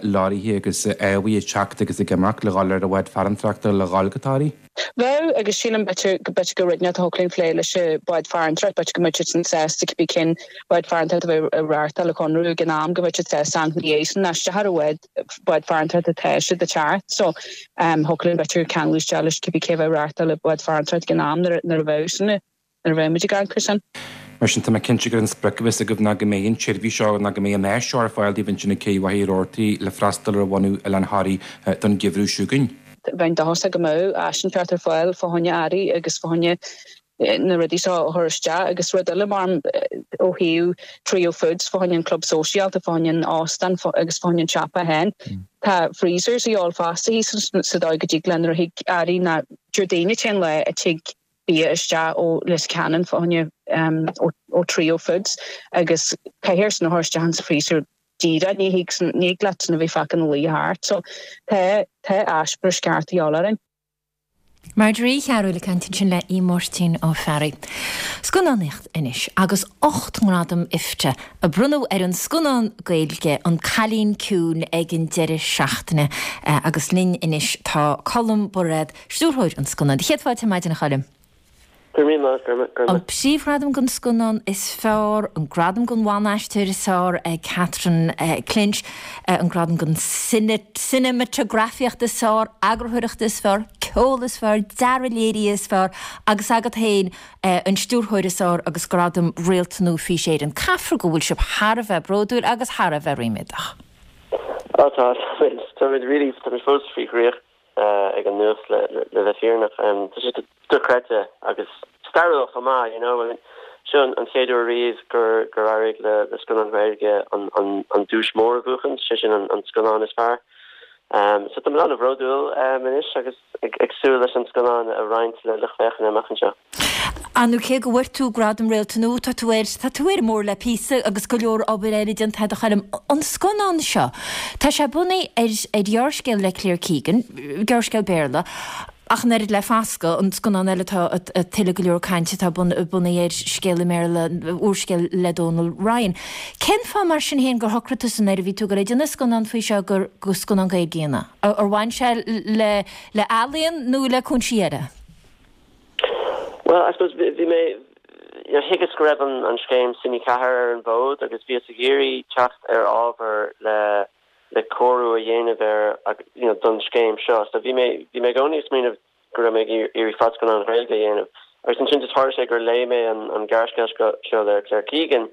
leoraithe agus eallaigh ag teacht agus ag imeacht le dhul ar an bhád farantóireachta le dhul go Toraigh. Bheadh, agus sílim b'fhéidir go b'fhéidir gur rud inteacht a thiocfadh linn phlé leis an bád farantóireachta, b'fhéidir go mbeadh siad sin sásta cibé cén bád farantóireachta a bheidh ag reáchtáil an conradh ag an am, go mbeadh siad sásta amharc ina dhiaidh sin, isteach ar an bhád, bád farantóireachta atá siad ag teacht. So, thiocfadh linn b'fhéidir ceangal isteach leis cibé cé a bheidh ag reáchtáil an bád farantóireachta ag an am nuair a bheadh sin. nuair a bheidh muid ag amharc air sin. Mar sin, tá mé cinnte gur an sprioc a bheas agaibh ná go mbeidh an tseirbhís seo, ná go mbeidh an áis seo ar fáil daoibh ansin ag Cé Mhachaire Rabhartaigh le freastal ar bhunadh Oileán Thoraí don gheimhreadh seo chugainn. Bheinn dóchasach go mbeadh áis inteacht ar fáil fá choinne earraí agus fá choinne na rudaí seo a chur isteach agus rud eile mar ó thaobh Trio Foods fá choinne an club sóisialta, fá choinne an óstán agus fá choinne an siopa féin. Tá freezers a dhíobháil fosta thíos sa dóigh go dtig le nuair a thig earraí ná Déardaoin an t-aon lá a tig bia isteach ó Leitir Ceanainn fá choinne ó Trio Foods agus caithfear sin a chur isteach insa freezer díreach, ní thig ní thig leat sin a bheith fágtha ina luí thart. So tá tá áis breis ceart a dhíobháil orainn. Marjorie Uí Chearúil ag caint ansin le Aodh Máirtín Ó Fearraigh. Scannánaíocht anois agus 8 ngradam IFTA a bronnadh ar an scannán Gaeilge An Cailín Ciúin ag an deireadh seachtaine agus linn anois tá Colm Bairéad, Stiúrthóir an scannáin. Céad fáilte ar maidin, a Choilm. Go raibh míle maith agat, go raibh. An príomhghradam don scannán is fearr, an gradam don bhan-aisteoir is fearr ag Catherine Clinch, an gradam don cineamatagrafaíocht is fearr, eagarthóireacht is fearr, ceol. ceol is fearr, dearadh léirithe is fearr agus agat féin an stiúrthóir is fearr agus gradam Réalta Nua Fís Éireann. Caithfear go bhfuil sibh thar a bheith bródúil agus thar a bheith ríméadach. Á tá, táimid, táimid really, táimid fós faoi dhraíocht ag an nuacht le bheith fírinneach. Tá sé dochreidte agus stairiúil chomh maith, you know. I mean, seo an chéad uair riamh gur gur éirigh le le scannán Gaeilge an an an duais mór a bhuachan, sé sin an an scannán is fearr. So tá mé an-bhródúil anois agus ag súil leis an scannán a roinnt le lucht féachana amach anseo. Ar ndóigh cé go bhfuair tú Gradam Réalta Nua, tá tú ar, tá tú ar an mbóthar le píosa agus go leor obair eile déanta agat a Choilm. An scannán seo, tá sé bunaithe ar ar ghearrscéal le Claire Keegan, gearrscéal Béarla, Ach an oiread le Fascadh, an scannán eile atá ag tuilleadh go leor cainte atá bunaithe ar scéal i mBéarla, úrscéal le Dónal Ryan. Cén fáth mar sin féin gur shocraigh tusa nuair a bhí tú ag dul ag déanamh scannán faoi seo gur scannán Gaeilge a dhéanamh? Ar bhain sé le ealaíon nó le cúinsí eile? Bhuel, I suppose bhí mé, you know, thuigeas go raibh an scéim Cine 4 ar an bhfód agus bhíos ag iarraidh teacht ar ábhar le le cóiriú a dhéanamh air you know don scéim seo. So bhí mé, bhí mé i gcónaí ag smaoineamh go raibh mé ag iarraidh fadscannán Ghaeilge a dhéanamh. Agus ansin just tharla sé gur léigh mé an, an gearrscéal seo le Claire Keegan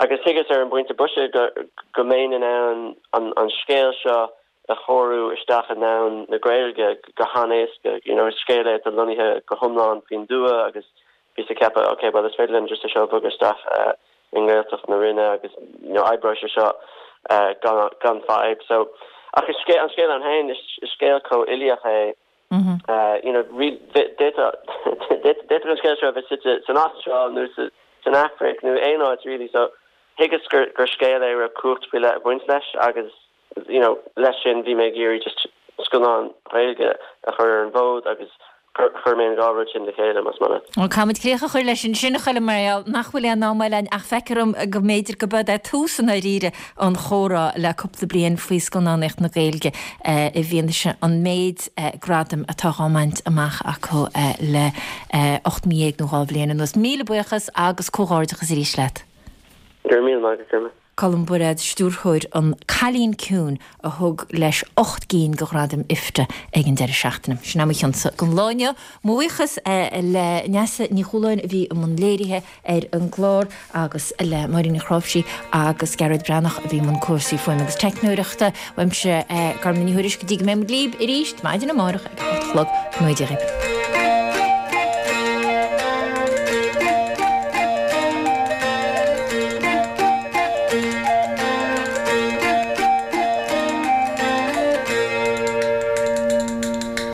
agus thuigeas ar an bpointe boise go, go mbeinn in ann an, an scéal seo a chóiriú isteach i ndomhan na Gaeilge go han-éasca. You know, is scéal é atá lonnaithe go hiomlán faoin dtuath agus bhíos ag ceapadh, ok, bhuel is féidir linn just é seo a bhogadh isteach i nGaeltacht na Rinne agus you know oibreoidh sé seo gan gan fadhb. So, ach is scéal, an scéal ann féin, is scéal chomh uilíoch é, you know, d'fhéadfadh d'fhéadfadh an scéal seo a bheith suite san Astráil nó sa san Afraic nó aon áit really. So thuigeas gur gur scéal é a raibh cumhacht faoi leith ag baint leis agus you know, leis sin bhí mé ag iarraidh just scannán Ghaeilge a chur ar an bhfód agus chuir mé an dhá rud sin le chéile, más maith leat. Bhuel, caithfimid críoch a chur leis ansin, a Choilm, mar gheall nach bhfuil aon am eile againn ach feictear dom go mb'fhéidir go b'eod é tús i ndáiríre an chomhrá le cúpla bliain faoi scannánaíocht na Gaeilge i bhfianaise an méid gradaim atá dhá mbaint amach acu le 18 mí nó 2 bhliain anuas. Míle buíochas agus comhghairdeachas arís leat. Go raibh míle maith agat, Grma. Colm Bairéad, stiúrthóir An Cailín Ciúin a thug leis 8 gcinn de ghradaim IFTA ag an deireadh seachtaine. Sin é mo chionsa don lá inniu. Mo bhuíochas le Neasa Ní Chualáin a bhí i mbun léirithe ar an gclár agus le Máirín Ní Chráimhsí agus Gearóid Breathnach a bhí i mbun cúrsaí fuaime agus teicneoireachta. Uaimse, Gormfhlaith Ní Thuairisg, go dtí go mbeidh muid libh arís maidin amárach ag a hocht a chlog. Go ngnóthaí Dia dhaoibh.